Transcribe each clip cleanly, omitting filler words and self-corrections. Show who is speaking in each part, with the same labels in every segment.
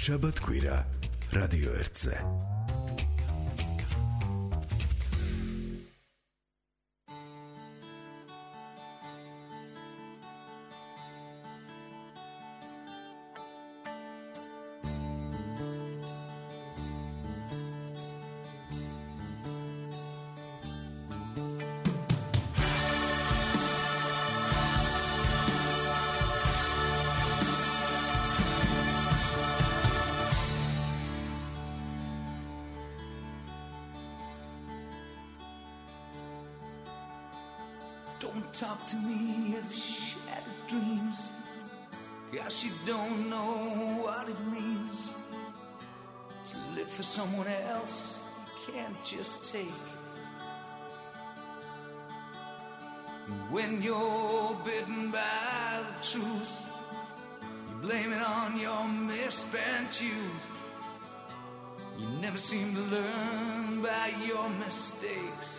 Speaker 1: შაბათ-კვირა რადიო 1-ზე.
Speaker 2: Don't talk to me of shattered dreams, 'cause you don't know what it means to live for someone else you can't just take. When you're bitten by the truth, you blame it on your misspent youth. You never seem to learn by your mistakes.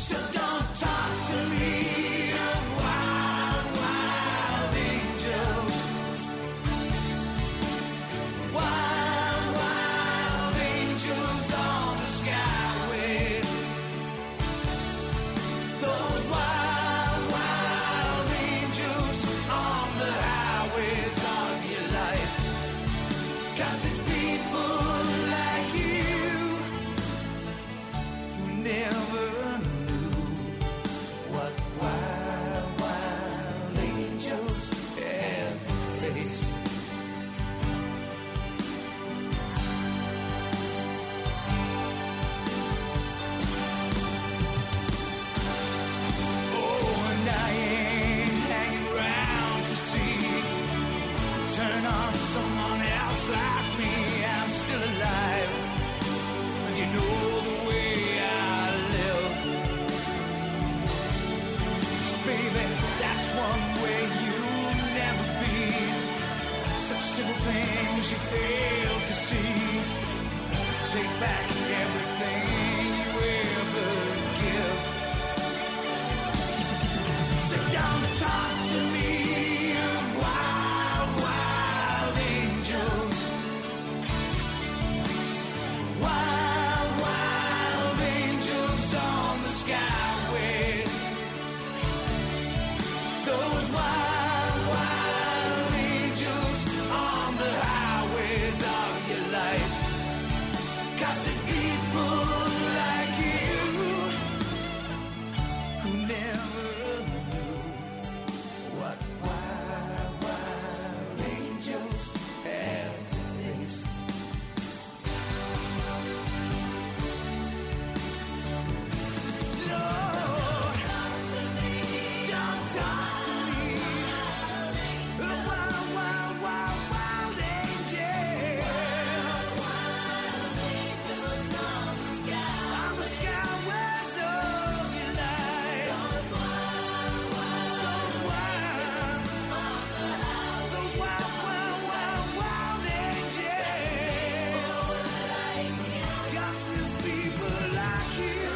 Speaker 2: So don't talk to me of wild, wild angels. Wild, wild angels on the skyways. Those wild, wild angels on the highways of your life. 'Cause it's people like you who never someone else like me. I'm still alive, and you know the way I live. So baby, that's one way you'll never be. Such simple things you fail to see. Take back everything you ever give. So don't talk to me of wild, wild angels. Wild, wild angels on the skyways. Those wild, wild angels on the highways of your life. 'Cause it's people like you who never knew what wild, wild angels have to face. No, don't talk to me. Don't talk to me. Wild, wild, wild, wild angels. Wild angels on the skyways of your life. Those wild, wild, those wild, wild, wild, wild angels. Got some people like you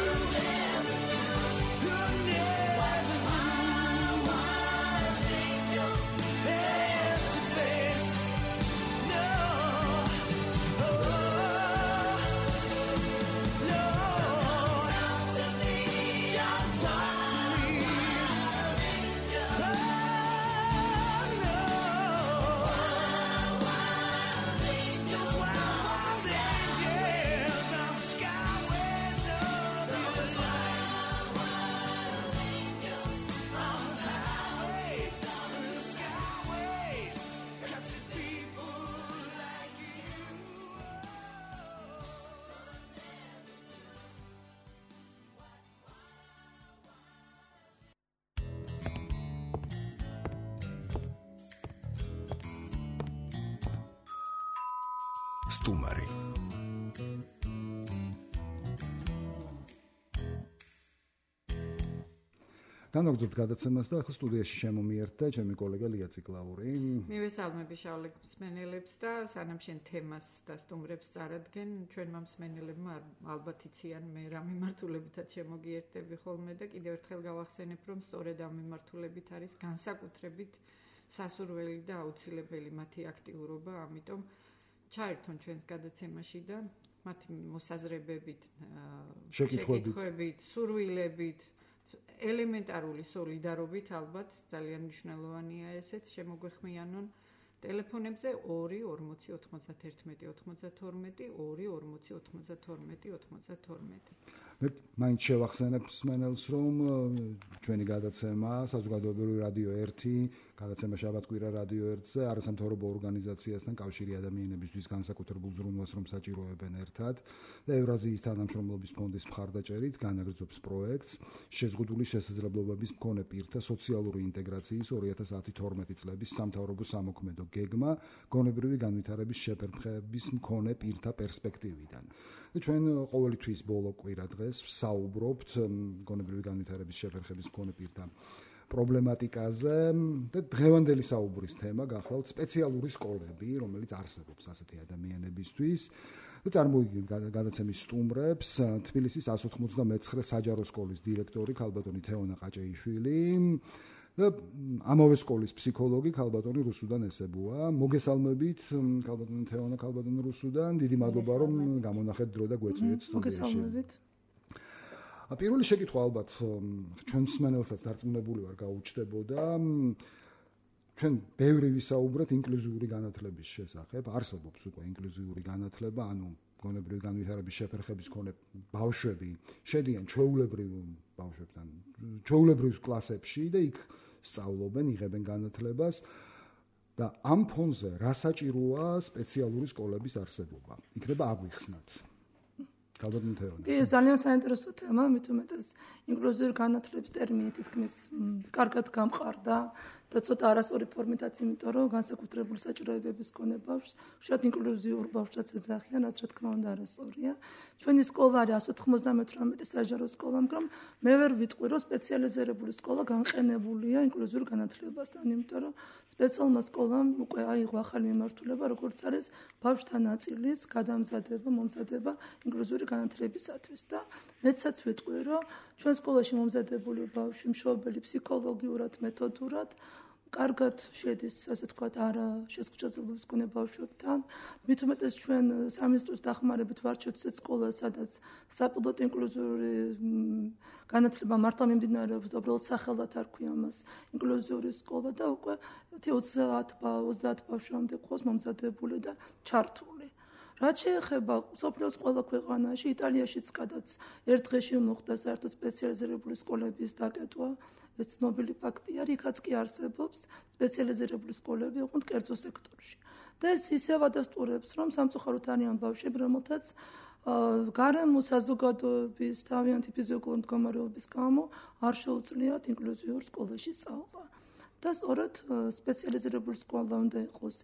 Speaker 2: who never have to face. No, no. Don't talk to me. Don't talk to me. Oh, no. Wild angels on the skyways of your life. Wild angels on the highways of the skyways. 'Cause it's people like you.
Speaker 1: სტუმარი
Speaker 3: განაგრძობთ გადაცემას და ახლა სტუდიაში შემომიერთა ჩემი კოლეგა ლია ციკლაური.
Speaker 4: მივესალმები შავლე მსმენელებს და სანამ შენ თემას და სტუმრებს წარადგენ, ჩვენმა მსმენელებმა ალბათ იციან მე რა მიმართულებითაც შემოგიერთები ხოლმე და კიდევ ერთხელ გავახსენებ, რომ სწორედ ამ მიმართულებით არის განსაკუთრებით სასურველი და აუცილებელი მათი აქტიურობა, ამიტომ ჩაერთონ ჩვენს გადაცემაში და მათი მოსაზრებებით, შეკითხვებით, სურვილებით, ელემენტარული სოლიდარობით ალბათ ძალიან მნიშვნელოვანია ესეც შემოგვეხმიანონ ტელეფონებზე 2 40 91 92 2 40 92 92.
Speaker 3: მე მაინც შევახსენებ მსმენელს, რომ ჩვენი გადაცემა საზოგადოებრივი რადიო 1, გადაცემა შაბათ-კვირა რადიო 1-ზე არასამთავრობო ორგანიზაციასთან კავშირი ადამიანებისთვის განსაკუთრებულ ზრუნვას რომ საჭიროებენ ერთად და ევრაზიის თანამშრომლობის ფონდის მხარდაჭერით განაგრძობს პროექტს შეზღუდული შესაძლებლობების მქონე პირთა სოციალური ინტეგრაციის 2010-12 წლების სამთავრობო სამოქმედო გეგმა გონებრივი განვითარების შეფერხების მქონე პირთა პერსპექტივიდან. ჩვენ ყოველი თვის ბოლო კვირა დღეს ვსაუბრობთ გონებრივი განვითარების შეფერხების მქონე პირთა პრობლემატიკაზე და დღევანდელი საუბრის თემა გახლავთ სპეციალური სკოლები, რომელიც არსებობს ასეთი ადამიანებისთვის. და წარმოვიდგინეთ გადაცემის სტუმრებს თბილისის 199 საჯარო სკოლის დირექტორი ქალბატონი თეონა ყაჭეიშვილი და ამავე სკოლის ფსიქოლოგი ქალბატონი რუსუდან ესებუა. მოგესალმებით ქალბატონი თეონა, ქალბატონი რუსუდან. დიდი მადლობა რომ გამონახეთ დრო და გვეწვიეთ სტუდიაში.
Speaker 5: მოგესალმებით.
Speaker 3: პირველი შეკითხვა ალბათ ჩვენ მსმენელსაც დარწმუნებული ვარ გაუჩნდებოდა. ჩვენ ბევრი ვისაუბრეთ ინკლუზიური განათლების შესახებ. არსებობს უკვე ინკლუზიური განათლება, ანუ გონებრივი განვითარების შეფერხების მქონე ბავშვები შედიან ჩვეულებრივ ბავშვებთან, ჩვეულებრივ კლასებში და იქ სწავლობენ, იღებენ განათლებას და ამ ფონზე რა საჭიროა სპეციალური სკოლების არსებობა? იქნება აგვიხსნათ. ქალბატონი თეონა.
Speaker 5: ეს ძალიან საინტერესო თემა, მით უმეტეს ინკლუზიური განათლების ტერმინი თითქმის კარგად გამყარდა და ცოტა არასწორი ფორმითაც, იმიტომ რომ განსაკუთრებული საჭიროებების მქონე ბავშვს, შედ ინკლუზიურ ბავშვსაც ეძახიან, რაც რა თქმა უნდა არასწორია. ჩვენი სკოლა არის 198 საჯარო სკოლა, მაგრამ მე ვერ ვიტყვი, რომ სპეციალიზირებული სკოლა განყენებულია ინკლუზიურ განათლებასთან, იმიტომ რომ სპეციალურმა სკოლამ უკვე აიღო ახალი მიმართულება, როგორც არის ბავშვთა ნაწილის გადამზადება, მომზადება ინკლუზიური განათლებისათვის და მეცაც ვიტყვი, რომ ჩვენ სკოლაში მომზადებული ბავშვი მშობელი ფსიქოლოგიურად, მეთოდურად კარგად შედის, ასე ვთქვათ, არა შესაძლებლობის მქონე ბავშვებთან. მით უმეტეს ჩვენ სამინისტროს დახმარებით ვარჩევთ ისეთ სკოლას, სადაც საპილოტო ინკლუზიური განათლება მართლა მიმდინარეობს და უბრალოდ სახელად არ ქვია მას ინკლუზიური სკოლა და უკვე 20 ბავშვამდე ყავს მომზადებული და ჩართული. რაც შეეხება სოფლიოს ყველა ქვეყანაში, იტალიაშიც გადაც ერთ დღეში მოხდა საერთოდ სპეციალიზირებული სკოლების დაკეტვა, ეს ცნობილი ფაქტია, რიქაც კი არსებობს სპეციალიზირებული სკოლები ოღონდ კერძო სექტორში. და ეს ისევ ადასტურებს, რომ სამწუხაროდ არიან ბავშვები, რომელთაც გარემო საზოგადოების თავიანთი ფიზიოლოგიური მდგომარეობის გამო არ შეუძლიათ ინკლუზიურ სკოლაში სწავლა. და სწორედ სპეციალიზირებული სკოლა უნდა იყოს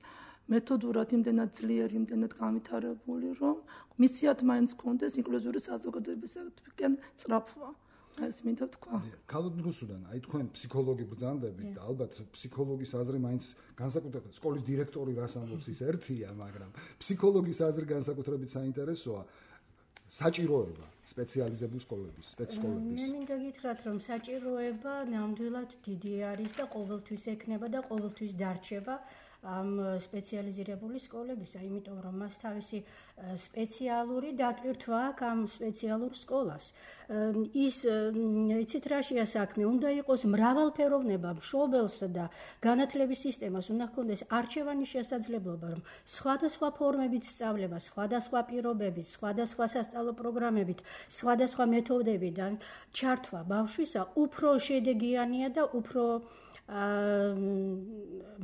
Speaker 5: მეთოდურად იმდენად ძლიერი, იმდენად განვითარებული, რომ მისიათ მაინც კონდეს ინკლუზიური საზოგადოებისაკენ წრაფვა. ეს მინდა ვთქვა.
Speaker 3: ქალბატონ რუსუდან, აი თქვენ ფსიქოლოგი ბრძანდებით და ალბათ ფსიქოლოგის აზრი მაინც განსაკუთრებით სკოლის დირექტორი რას ამბობს ის ერთია, მაგრამ ფსიქოლოგის აზრი განსაკუთრებით საინტერესოა. საჭიროება სპეციალიზებული სკოლების, სპეცსკოლების.
Speaker 6: მე მინდა გითხრათ, რომ საჭიროება ნამდვილად დიდი არის და ყოველთვის ექნება და ყოველთვის დარჩება ამ სპეციალიზირებული სკოლებისა, იმიტომ რომ მას თავისი სპეციალური დატვირთვა აქვს ამ სპეციალურ სკოლას. ის იცით რაშია საქმე, უნდა იყოს მრავალფეროვნება მშობელსა და განათლების სისტემას უნდა ჰქონდეს არჩევანის შესაძლებლობა, რომ სხვადასხვა ფორმებით სწავლება, სხვადასხვა პირობებით, სხვადასხვა სასწავლო პროგრამებით, სხვადასხვა მეთოდებიდან ჩართვა ბავშვისა უფრო შედეგიანია და უფრო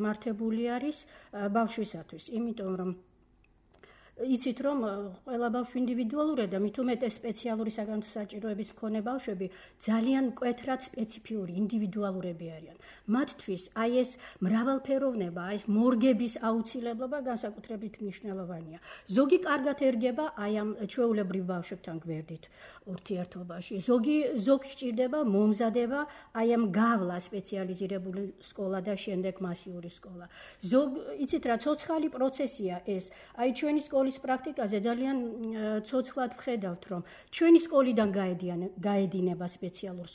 Speaker 6: მართებული არის ბავშვისათვის, იმიტომ რომ იცით რომ ყველა ბავშვი ინდივიდუალურია და მით უმეტეს სპეციალური საგანსაჭიროების მქონე ბავშვები ძალიან მკვეთრად სპეციფიური ინდივიდუალურები არიან. მათთვის აი ეს მრავალფეროვნება, ეს მორგების აუცილებლობა განსაკუთრებით მნიშვნელოვანია. ზოგი კარგად ერგება აი ამ ჩვეულებრივ ბავშვებთან გვერდით ურთიერთობაში. ზოგი სჭირდება მომზადება აი ამ გავლა სპეციალიზირებული სკოლა და შემდეგ მასიური სკოლა. იცით რა ცოცხალი პროცესია ეს. აი ჩვენი სკოლა სკოლის პრაქტიკაზე ძალიან ცოცხლად ვხედავთ, რომ ჩვენი სკოლიდან გაედინება სპეციალურ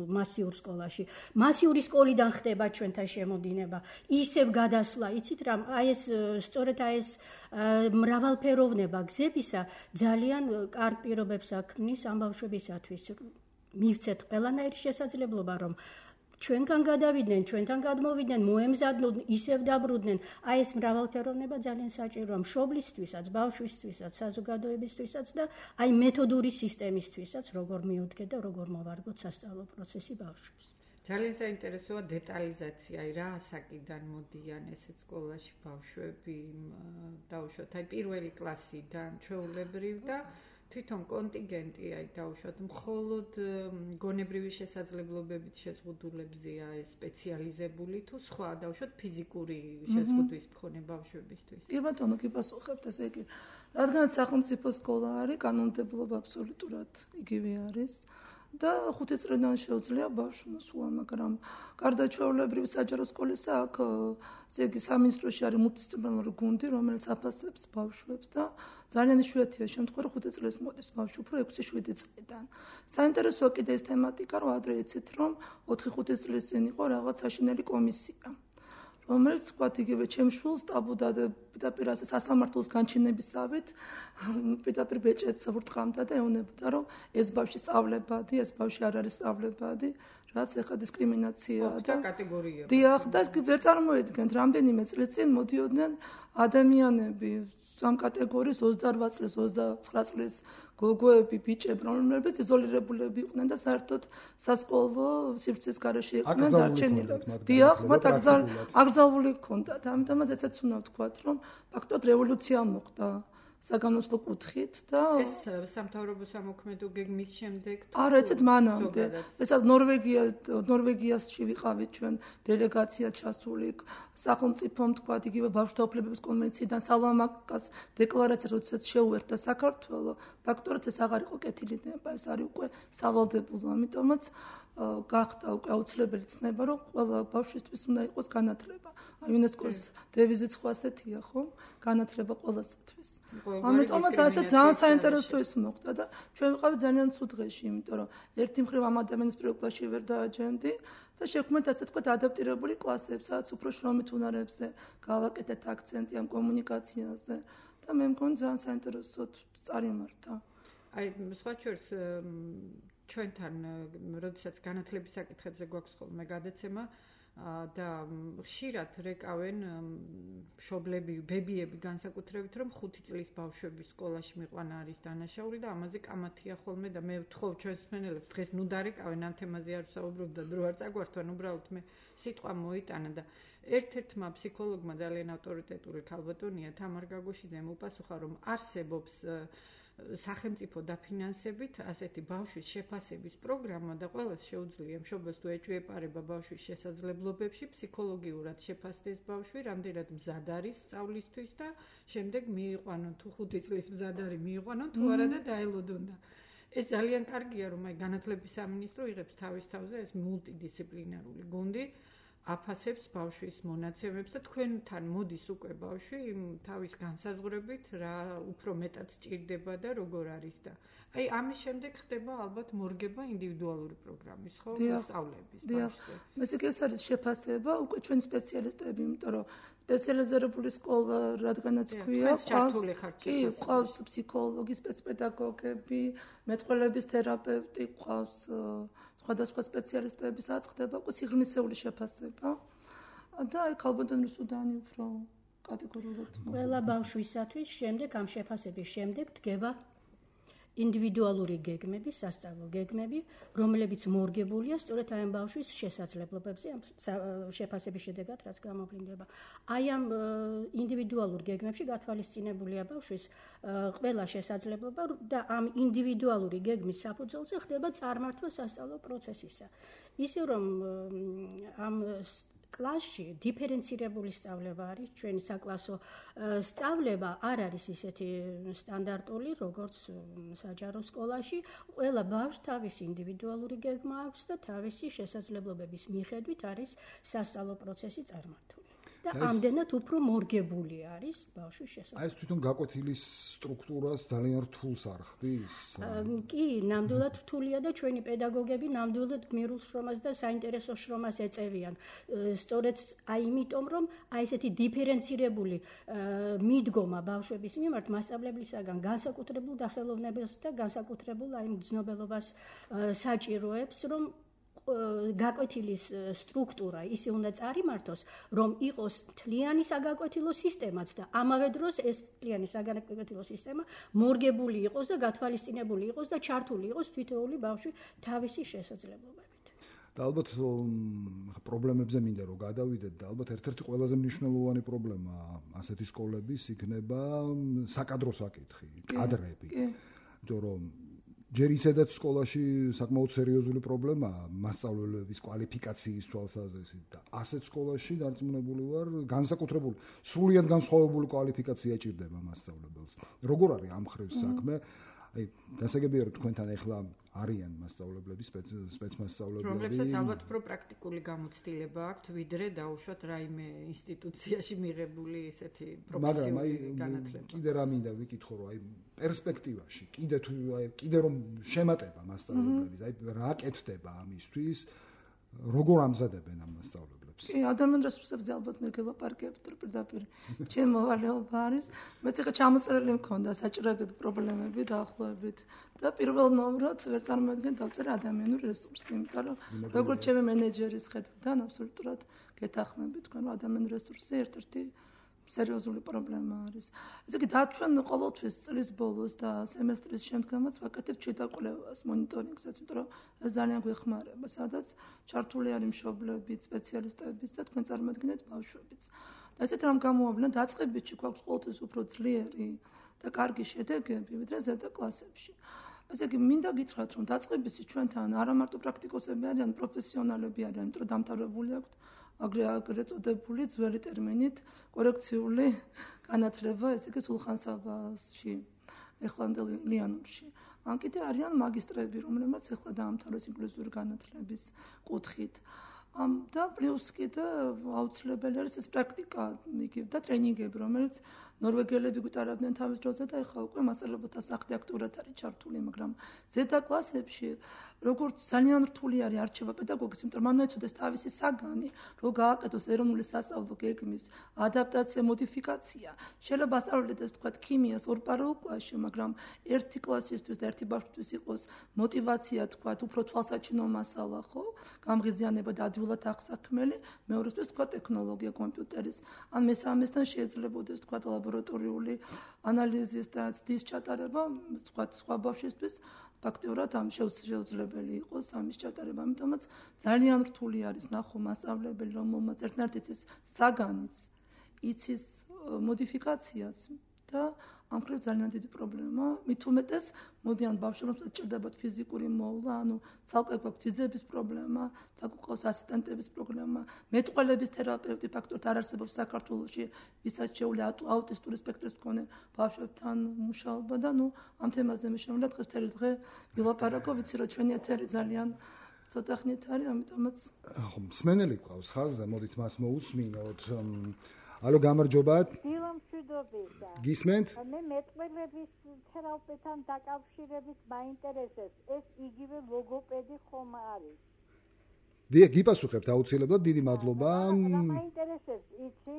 Speaker 6: მასიურ სკოლაში. მასიური სკოლიდან ხდება ჩვენთან შემოდინება. ისევ გადასვლა, იცით რა, სწორედ ეს მრავალფეროვნება გზებისა ძალიან კარგ პირობებს აქმნის ამ ბავშვებისათვის. მივცეთ ყველანაირი შესაძლებლობა, რომ ჩვენგან გადავიდნენ, ჩვენთან გადმოვიდნენ, მოემზადდნენ, ისევ დაბრუნდნენ. ეს მრავალფეროვნება ძალიან საჭიროა მშობლისთვისაც, ბავშვისთვისაც, საზოგადოებისთვისაც და მეთოდური სისტემისთვისაც, როგორ მიუდგეთ და როგორ მოვარგოთ სასწავლო პროცესი ბავშვებს.
Speaker 4: ძალიან საინტერესოა დეტალიზაცია, რა ასაკიდან მოდიან ესეთ სკოლაში ბავშვები, დაუშვათ, პირველი კლასიდან ჩვეულებრივ და თვითონ კონტინგენტი დაუშვათ, მხოლოდ გონებრივი შესაძლებლობებით შეზღუდულებზეა ეს სპეციალიზებული თუ სხვა დაუშვათ ფიზიკური შეზღუდვის მქონე ბავშვებისთვის.
Speaker 5: კი ბატონო, კი პასუხებთ ესე იგი. რადგან სახელმწიფო სკოლა არის, კანონმდებლობა აბსოლუტურად იგივე არის. და 5 წლიდან შეუძლია ბავშვს მოსვლა, მაგრამ გარდა ჩვეულებრივ საჯარო სკოლისა აქ ესე იგი სამინისტროში არის მულტიდისციპლინარული გუნდი, რომელიც აფასებს ბავშვებს და ძალიან იშვიათია შემთხვევა, რომ 5 წელს მოდის ბავშვი უფრო 6-7 წლიდან. საინტერესოა კიდე ეს თემატიკა, რომ ადრე იცით, რომ 4-5 წლის წინ იყო რაღაც საშინელი კომისია, რომელიც ვთქვათ იგივე ჩემს შვილს ტაბუდა პირდაპირ ასე სასამართლოს განჩინებისავით პირდაპირ ბეჭედს ვრტყამდა და ეუბნებოდა, რომ ეს ბავშვი სწავლებადი, ეს ბავშვი არ არის სწავლებადი, რაც ეხა დისკრიმინაციაა
Speaker 4: და კატეგორია.
Speaker 5: დიახ, და ვერ წარმოედგენთ, რამდენიმე წლის წინ მოდიოდნენ ადამიანები ამ კატეგორიის 28 წლის, 29 წლის გოგოები, ბიჭები, რომლებიც იზოლირებულები იყვნენ და საერთოდ სასკოლო სივრცის გარეშე იყვნენ დარჩენილები. დიახ, მათ აკრძალული ჰქონდათ. ამიტომაც ეცეც უნდა ვთქვათ, რომ ფაქტობრივად რევოლუცია მოხდა საგანმანათლებლო კუთხით და
Speaker 4: ეს სამთავრობო სამოქმედო გეგმის შემდეგ
Speaker 5: არა, ეცეთ მანამდე. ესაც ნორვეგიაში ვიყავით ჩვენ დელეგაცია ჩასული სახელმწიფომ თქვათ იგივე ბავშვთა უფლებების კონვენციიდან სალამაკას დეკლარაციას როდესაც შეუერთდა საქართველო, ფაქტობრივად ეს აღარ იყო კეთილი ნება, ეს არის უკვე სავალდებულო, ამიტომაც გახდა უკვე აუცილებელი ცნება, რომ ყველა ბავშვისთვის უნდა იყოს განათლება. იუნესკოს დევიზიც ხო ასეთია, ხო? განათლება ყველასათვის. ამიტომაც ასე ძალიან საინტერესო ის მოხდა და ჩვენ ვიყავით ძალიან ცუდ დღეში, იმიტომ რომ ერთი მხრივ ამ ადამიანის პირველ კლასში ვერ დააჯენდი და შექმნით ასე თქვა ადაპტირებული კლასებს, სადაც უფრო შრომით უნარებზე გავაკეთეთ აქცენტი ამ კომუნიკაციაზე და მე მგონი ძალიან საინტერესოდ წარიმართა.
Speaker 4: სხვა შორის ჩვენთან როდესაც განათლების საკითხებზე გვაქვს ხოლმე გადაცემა და ხშირად რეკავენ მშობლები, ბებიები განსაკუთრებით, რომ 5 წლის ბავშვების სკოლაში მიყვანა არის დანაშაული და ამაზე კამათია ხოლმე და მე ვთხოვ ჩვენს მსმენელებს დღეს ნუ დარეკავენ ამ თემაზე არ ვსაუბრობ და დრო არ წაგვართვან, უბრალოდ მე სიტყვა მოიტანა და ერთ-ერთმა ფსიქოლოგმა ძალიან ავტორიტეტური ქალბატონია თამარ გაგოშიძემ უპასუხა, რომ არსებობს სახელმწიფო დაფინანსებით ასეთი ბავშვის შეფასების პროგრამა და ყველას შეუძლია მშობელს თუ ეჭვიეპარება ბავშვის შესაძლებლობებში ფსიქოლოგიურად შეფასდეს ბავშვი, რამდენად მზად არის სწავლისთვის და შემდეგ მიიყვანონ თუ 5 წლის მზად არის მიიყვანონ თუ არა და დაელოდონ და ეს ძალიან კარგია, რომ განათლების სამინისტრო იღებს თავის თავზე ეს მულტიდისციპლინარული გუნდი აფასებს ბავშვის მონაცემებს და თქვენთან მოდის უკვე ბავშვი თავის განსაზღვრებით რა უფრო მეტად სჭირდება და როგორ არის და ამის შემდეგ ხდება ალბათ მორგება ინდივიდუალური პროგრამის ხო სწავლების ბავშვზე.
Speaker 5: მესეკ ეს არის შეფასება უკვე ჩვენ სპეციალისტები, იმიტომ რომ სპეციალიზირებული სკოლა რადგანაც ქვია, ყავს ფსიქოლოგი, სპეცპედაგოგები, მეტყველების თერაპევტი, ყავს სხვადასხვა სპეციალისტები, სადაც ხდება უკვე სიღრმისეული შეფასება და ქალბატონის უდანი უფრო კატეგორიულად
Speaker 6: ყველა ბავშვისათვის შემდეგ ამ შეფასების შემდეგ დგება ინდივიდუალური გეგმები, სასწავლო გეგმები, რომლებიც მორგებულია სწორედ ამ ბავშვის შესაძლებლობებზე, ამ შეფასების შედეგად რაც გამოვლინდება. ამ ინდივიდუალურ გეგმებში გათვალისწინებულია ბავშვის ყველა შესაძლებლობა და ამ ინდივიდუალური გეგმის საფუძველზე ხდება წარმართვა სასწავლო პროცესისა. ისე რომ ამ კლასში დიფერენცირებული სწავლება არის, ჩვენი საკლასო სწავლება არ არის ისეთი სტანდარტული, როგორც საჯარო სკოლაში. ყველა ბავშვს თავისი ინდივიდუალური გეგმა აქვს და თავისი შესაძლებლობების მიხედვით არის სასწავლო პროცესი წარმართული. და ამდენად უფრო მორგებული არის ბავშვის შესაძლებლობა.
Speaker 3: აი ეს თვითონ გაკვეთილის სტრუქტურას ძალიან რთულს არ ხდის?
Speaker 6: კი, ნამდვილად რთულია და ჩვენი პედაგოგები ნამდვილად გმირულ შრომას და საინტერესო შრომას ეწევიან. სწორედ აი იმიტომ, რომ აი ესეთი დიფერენცირებული მიდგომა ბავშვების მიმართ მასწავლებლისაგან განსაკუთრებულ დახელოვნებას და განსაკუთრებულ აი მგრძნობელობას საჭიროებს, რომ გაკვეთილის სტრუქტურა ისე უნდა წარიმართოს, რომ იყოს მთლიანი საგაკვეთილო სისტემაც და ამავე დროს ეს მთლიანი საგაკვეთილო სისტემა მორგებული იყოს და გათვალისწინებული იყოს და ჩართული იყოს თითოეული ბავშვი თავისი შესაძლებლობებით.
Speaker 3: და ალბათ პრობლემებზე მინდა რომ გადავიდეთ და ალბათ ერთ-ერთი ყველაზე მნიშვნელოვანი პრობლემა ასეთი სკოლების იქნება საკადრო საკითხი, კადრები. იმიტომ რომ ჯერ ისედაც სკოლაში საკმაოდ სერიოზული პრობლემაა მასწავლებლების კვალიფიკაციის თვალსაზრისით და ასეთ სკოლაში დარწმუნებული ვარ განსაკუთრებული სრულიად განსხვავებული კვალიფიკაცია ჭირდება მასწავლებელს. როგორ არის ამ ხრივ საქმე? აი გასაგებია რომ თქვენთან ახლა არიან მასწავლებლები, სპეცმასწავლებლები,
Speaker 4: რომლებსაც ალბათ უფრო პრაქტიკული გამოცდილება აქვთ, ვიდრე დაუშვათ რაიმე ინსტიტუციაში მიღებული ესეთი პროფესიული განათლება.
Speaker 3: კიდე რა მინდა ვიკითხო, რომ აი პერსპექტივაში, კიდე რომ შემატება მასწავლებლების, აი რა კეთდება ამისთვის, როგორ ამზადებენ ამ მასწავლებლებს?
Speaker 5: კი, ადამიანურ რესურსებზე ალბათ მე გელაპარაკებთ პირდაპირ. ჩემ მოვალეობა არის, მეც ახლა ჩამოწერილი მქონდა საჭიროებები, პრობლემები დაახლოებით და პირველ ნომრად ვერ წარმოადგენთ დავწერე ადამიანურ რესურსს, იმიტომ რომ როგორც ჩემი მენეჯერის ხედვიდან აბსოლუტურად გეთანხმებით თქვენ რომ ადამიანურ რესურსი ერთ-ერთი სერიოზული პრობლემა არის. ესე იგი ჩვენ ყოველთვის წლის ბოლოს და სემესტრის შემდგომაც ვაკეთებთ შედაკვლევას, მონიტორინგსაც, იმიტომ რომ ეს ძალიან გვეხმარება, სადაც ჩართული არის მშობლებიც, სპეციალისტებიც და თქვენ წარმოადგენთ ბავშვებიც. და ესეთ რამ გამოავლინა დაწყებითში გვაქვს ყოველთვის უფრო ძლიერი და კარგი შედეგები, ვიდრე ზედა კლასებში. ესე იგი მინდა გითხრათ, რომ დაწყებითში ჩვენთან არა მარტო პრაქტიკოსები არიან, პროფესიონალები არიან, იმიტომ რომ დამთავრებული აქვთ აგრე წოდებული ძველი ტერმინით კორექციული განათლება, ესე იგი სულხან-საბაში, ეხლანდელ ლიანურში. ან კიდე არიან მაგისტრები, რომლებმაც ეხლა დაამთავრეს ინკლუზიური განათლების კუთხით. და პლუს კიდე აუცილებელი არის ეს პრაქტიკა, იგივე და ტრენინგები, რომელიც ნორვეგიელები გვიტარავდნენ თავის დროზე და ეხლა უკვე მასწავლებელთა სახლი აქტიურად არის ჩართული, მაგრამ ზედა კლასებში როგორც ძალიან რთული არის არჩევა პედაგოგის, იმიტომ რომ მან ეცოდეს თავისი საგანი, რომ გააკეთოს ეროვნული სასწავლო გეგმის ადაპტაცია, მოდიფიკაცია. შეიძლება ასწავლოთ ეს თქვა ქიმიას ორ პარალელ კლასში, მაგრამ ერთი კლასისთვის და ერთი ბავშვისთვის იყოს мотиваცია თქვა უფრო თვალსაჩინო მასალა, ხო? გამღიზიანება და ადვილად აღსაქმელი, მეორესთვის თქვა ტექნოლოგია კომპიუტერის. ან მესამესთან შეიძლებაოდეს თქვა ლაბორატორიული ანალიზის და ცდის ჩატარება, თქვა სხვა ბავშვისთვის ფაქტიურად ამ შეუძლებელი იყოს ამის ჩატარება, ამიტომაც ძალიან რთული არის ნახო მასწავლებელი, რომელმაც ერთნაირად იცის საგანიც, იცის მოდიფიკაციაც და ამ ხრივ ძალიან დიდი პრობლემა. მით უმეტეს მოდიან ბავშვებს ჭირდებათ ფიზიკური მოვლა, ანუ ცალკე გვაქვს ძიძების პრობლემა, თაკუყავს ასისტენტების პრობლემა, მეტყველების თერაპევტი ფაქტორად არ არსებობს საქართველოში, ვისაც შეუძლია აუტისტური სპექტრის მქონე ბავშვებთან მუშაობა და ამ თემაზე მე შემიძლია დღეს მთელი დღე ვილაპარაკო, ვიცი რომ ჩვენი ეთერი ძალიან ცოტა ხნით არის, ამიტომაც
Speaker 3: ხო, მსმენელი გვყავს ხაზზე, მოდით მას მოусმინოთ. ალო, გამარჯობათ.
Speaker 7: დილომშვიდობისა.
Speaker 3: გისმენთ?
Speaker 7: მე მეტყველების თერაპევტთან დაკავშირებით მაინტერესებს, ეს იგივე ლოგოპედი ხომ არის?
Speaker 3: გიპასუხებთ აუცილებლად, დიდი მადლობა.
Speaker 7: მაინტერესებს, იცი,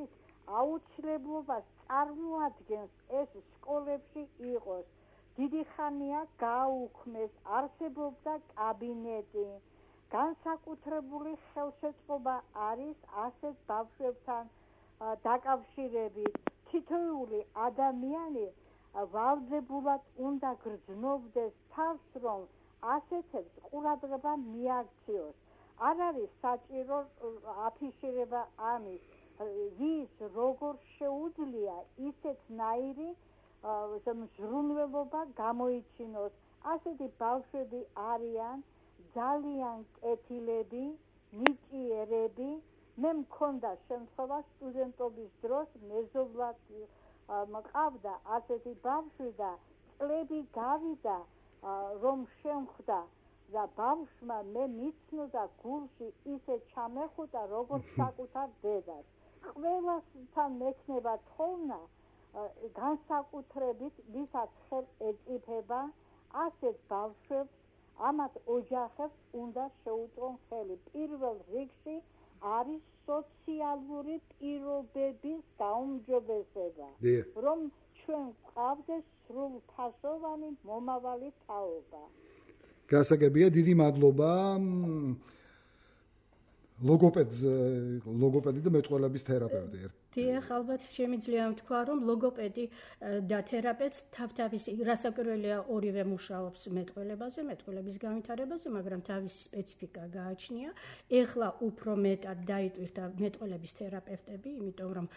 Speaker 7: აუცილებლობას წარმოადგენს ეს სკოლებში იყოს. დიდი ხანია გააუქმეს, არსებობდა კაბინეტი. განსაკუთრებული ხელშეწყობა არის ასეთ ბავშვებთან დაკავშირებით. თითოეული ადამიანი ვალდებულად უნდა გრძნობდეს თავს, რომ ასეთებს ყურადღება მიაქციოს. არ არის საჭირო აფიშირება ამის, ვის როგორ შეუძლია ისეთნაირი ზრუნველობა გამოიჩინოს. ასეთი ბავშვები არიან ძალიან კეთილები, ნიჭიერები. მე მქონდა შემთხვევა სტუდენტობის დროს მეზობლად მყავდა ასეთი ბავშვი და წლები გავიდა რომ შემხვდა და ბავშვმა მე მიცნობდა გულში ისე ჩამეხუტა როგორც საკუთარ დედას. ყველასთან მექნება თხოვნა განსაკუთრებით ვისაც ხელ ეწიფება ასეთ ბავშვებს ამათ ოჯახებს უნდა შეუწყონ ხელი პირველ რიგში არის სოციალური პირობების გაუმჯობესება რომ ჩვენ გვყავდეს სრულფასოვანი მომავალი თაობა
Speaker 3: გასაგებია დიდი მადლობა ლოგოპედი და მეტყველების თერაპევტი
Speaker 6: დიახ, ალბათ შემიძლია თქვა, რომ ლოგოპედი და თერაპევტი თავთავისი რასაკვირველია ორივე მუშაობს მეტყველებაზე, მეტყველების განვითარებაზე, მაგრამ თავისი სპეციფიკა გააჩნია. ეხლა უფრო მეტად დაიტვირთა მეტყველების თერაპევტები, იმიტომ რომ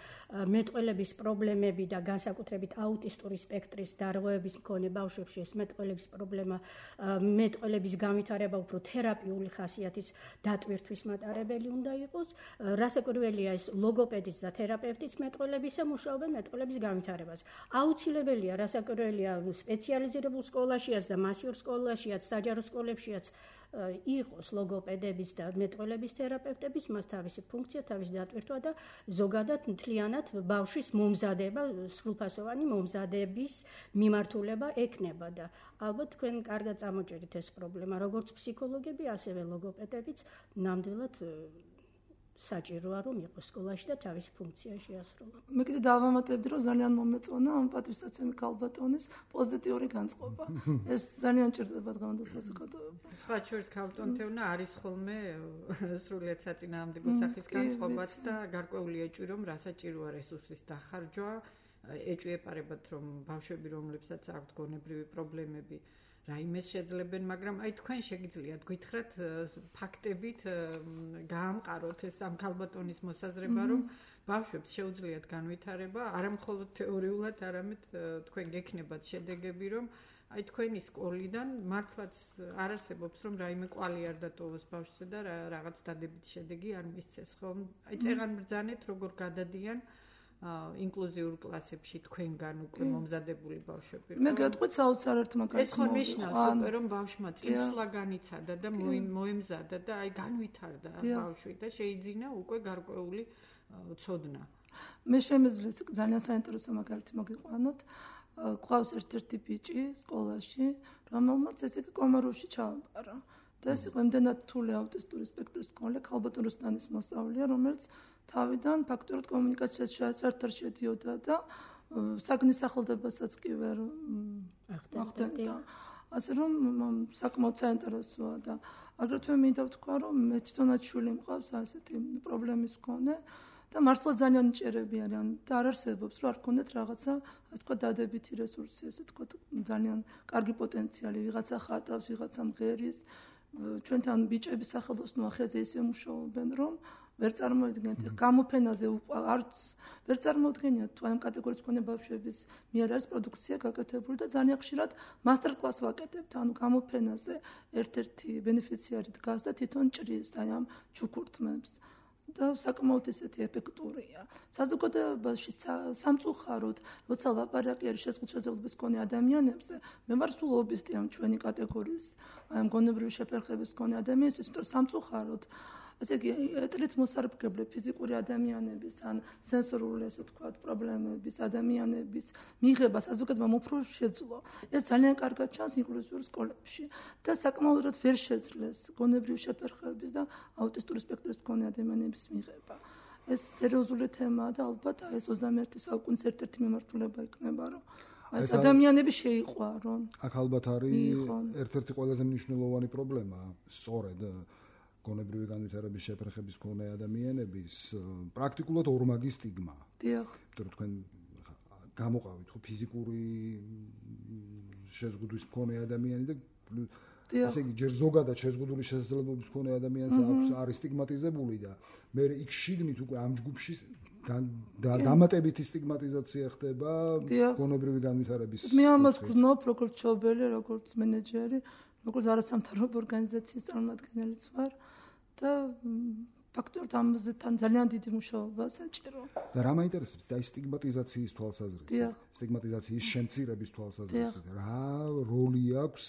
Speaker 6: მეტყველების პრობლემები და განსაკუთრებით აუტისტური სპექტრის დარღვევების მქონე ბავშვებში ეს მეტყველების პრობლემა, მეტყველების განვითარება უფრო თერაპიული ხასიათის დატვირთვის მატარებელი უნდა იყოს. რასაკვირველია ეს ლოგოპედიც და თერაპევტიც მეტყველებისა მუშაობენ მეტყველების განვითარებას. აუცილებელია, რასაკვირველია სპეციალიზირებულ სკოლაშიაც და მასიურ სკოლაშიაც, საჯარო სკოლებშიაც იყოს ლოგოპედების და მეტყველების თერაპევტების, მას თავისი ფუნქცია, თავისი დატვირთვა და ზოგადად მთლიანად ბავშვის მომზადება, სრულფასოვანი მომზადების მიმართულება ექნება და ალბათ თქვენ კარგად წამოჭერით ეს პრობლემა, როგორც ფსიქოლოგები, ასევე ლოგოპედებიც ნამდვილად საჭიროა რომ იყოს სკოლაში და თავისი ფუნქცია შეასრულოს.
Speaker 5: მე კიდე დავამატებდი რომ ძალიან მომეწონა ამ პატივსაცემი ქალბატონის პოზიტიური განწყობა. ეს ძალიან ჭირდება დღევანდელ საზოგადოებას.
Speaker 4: სხვა შორის ქალბატონთევნა არის ხოლმე სრულიად საწინააღმდეგო სახის განწყობაც და გარკვეული ეჭვი რომ რასაჭიროა რესურსის დახარჯვა, ეჭვი ეპარებათ რომ ბავშვები რომლებსაც აქვთ გონებრივი პრობლემები რაიმეს შეძლებენ, მაგრამ აი თქვენ შეგიძლიათ გითხრათ ფაქტებით გაამყაროთ ეს ამ ქალბატონის მოსაზრება, რომ ბავშვებს შეუძლიათ განვითარება, არა მხოლოდ თეორიულად, არამედ თქვენ გექნებათ შედეგები, რომ აი თქვენი სკოლიდან მართლაც არ არსებობს, რომ რაიმე კვალი არ დატოვოს ბავშვზე და რაღაც დადებითი შედეგი არ მისცეს, ხომ? აი წეღან ბრძანეთ, როგორ გადადიან ინკლუზიურ კლასებში თქვენგან უკვე მომზადებული ბავშვები.
Speaker 5: მე გეტყვით საოცარ ერთ მაგალითს.
Speaker 4: ეს ხო ნიშნავს უკვე რომ ბავშვმა წინსვლა განიცადა და მოემზადა და აი განვითარდა ბავშვი და შეიძინა უკვე გარკვეული ცოდნა.
Speaker 5: მე შემეძლეს ძალიან საინტერესო მაგალითი მოგიყვანოთ. ყავს ერთ-ერთი ბიჭი სკოლაში, რომელმაც ესე იგი კომაროვში ჩააბარა. და ეს იყო იმდენად რთული აუტისტური სპექტრის მქონე ქალბატონ რუსტანის მოსწავლეა, რომელიც თავიდან ფაქტურად კომუნიკაციაში საერთოდ შედიოდა და საგნის სახელდებასაც კი ვერ ახდენდა. ასე რომ საკმაოდ საინტერესოა და აგრეთვე მინდა ვთქვა, რომ მე თვითონაც შვილი მყავს ასეთი პრობლემის მქონე და მართლა ძალიან მჭერები არიან და არ არსებობს, რომ არ გქონდეთ რაღაცა, ასე თქვა, დადებითი რესურსი, ასე თქვა, ძალიან კარგი პოტენციალი, ვიღაცა ხატავს, ვიღაცა მღერის. ჩვენთან ბიჭების სახელოსნოა ხეზე ისე მუშაობენ, რომ ვერ წარმოიდგენთ გამოფენაზე არც ვერ წარმოუდგენიათ თუ ამ კატეგორიის მქონე ბავშვების მიერ არის პროდუქცია გაკეთებული და ძალიან ხშირად მასტერ-კლას ვაკეთებთ, ანუ გამოფენაზე ერთ-ერთი ბენეფიციარი დგას და თვითონ ჭრის აი ამ ჩუქურთმებს და საკმაოდ ესეთი ეფექტურია. საზოგადოებაში სამწუხაროდ, როცა ლაპარაკი არის შეზღუდვების მქონე ადამიანებზე, მე ვარ სულ ლობისტი ამ ჩვენი კატეგორიის აი ამ გონებრივი შეფერხების მქონე ადამიანისთვის, იმიტომ რომ სამწუხაროდ ესე იგი ეტლით მოსარგებლე ფიზიკური ადამიანების ან სენსორული ასე ვთქვათ პრობლემების ადამიანების მიღება საზოგადოებამ უფრო შეძლო. ეს ძალიან კარგად ჩანს ინკლუზიურ სკოლებში და საკმაოდ ვერ შეძლეს გონებრივი შეფერხების და აუტისტური სპექტრის მქონე ადამიანების მიღება. ეს სერიოზული თემაა და ალბათ ეს 21 საუკუნის ერთ-ერთი მიმართულება იქნება, რომ ეს ადამიანები შეიყვარონ.
Speaker 3: აქ ალბათ არის ერთ-ერთი ყველაზე მნიშვნელოვანი პრობლემა, სწორედ გონებრივი განვითარების შეფერხების მქონე ადამიანების პრაქტიკულად ორმაგი სტიგმა.
Speaker 5: დიახ.
Speaker 3: იმიტომ რომ თქვენ გამოყავით ხო ფიზიკური შეზღუდვის მქონე ადამიანი და ესე იგი ჯერ ზოგადად შეზღუდული შესაძლებლობის მქონე ადამიანს არის სტიგმატიზებული და მე იქ შიგნით უკვე ამ ჯგუფში დამატებითი სტიგმატიზაცია ხდება გონებრივი განვითარების.
Speaker 5: მე ამას გრძნობ როგორც მშობელი, როგორც მენეჯერი, როგორც არასამთავრობო ორგანიზაციის წარმომადგენელიც ვარ და ფაქტობრივად ამაზე თან ძალიან დიდი მუშაობა საჭირო.
Speaker 3: და რა მაინტერესებს და სტიგმატიზაციის თვალსაზრისით, სტიგმატიზაციის შემცირების თვალსაზრისით, რა როლი აქვს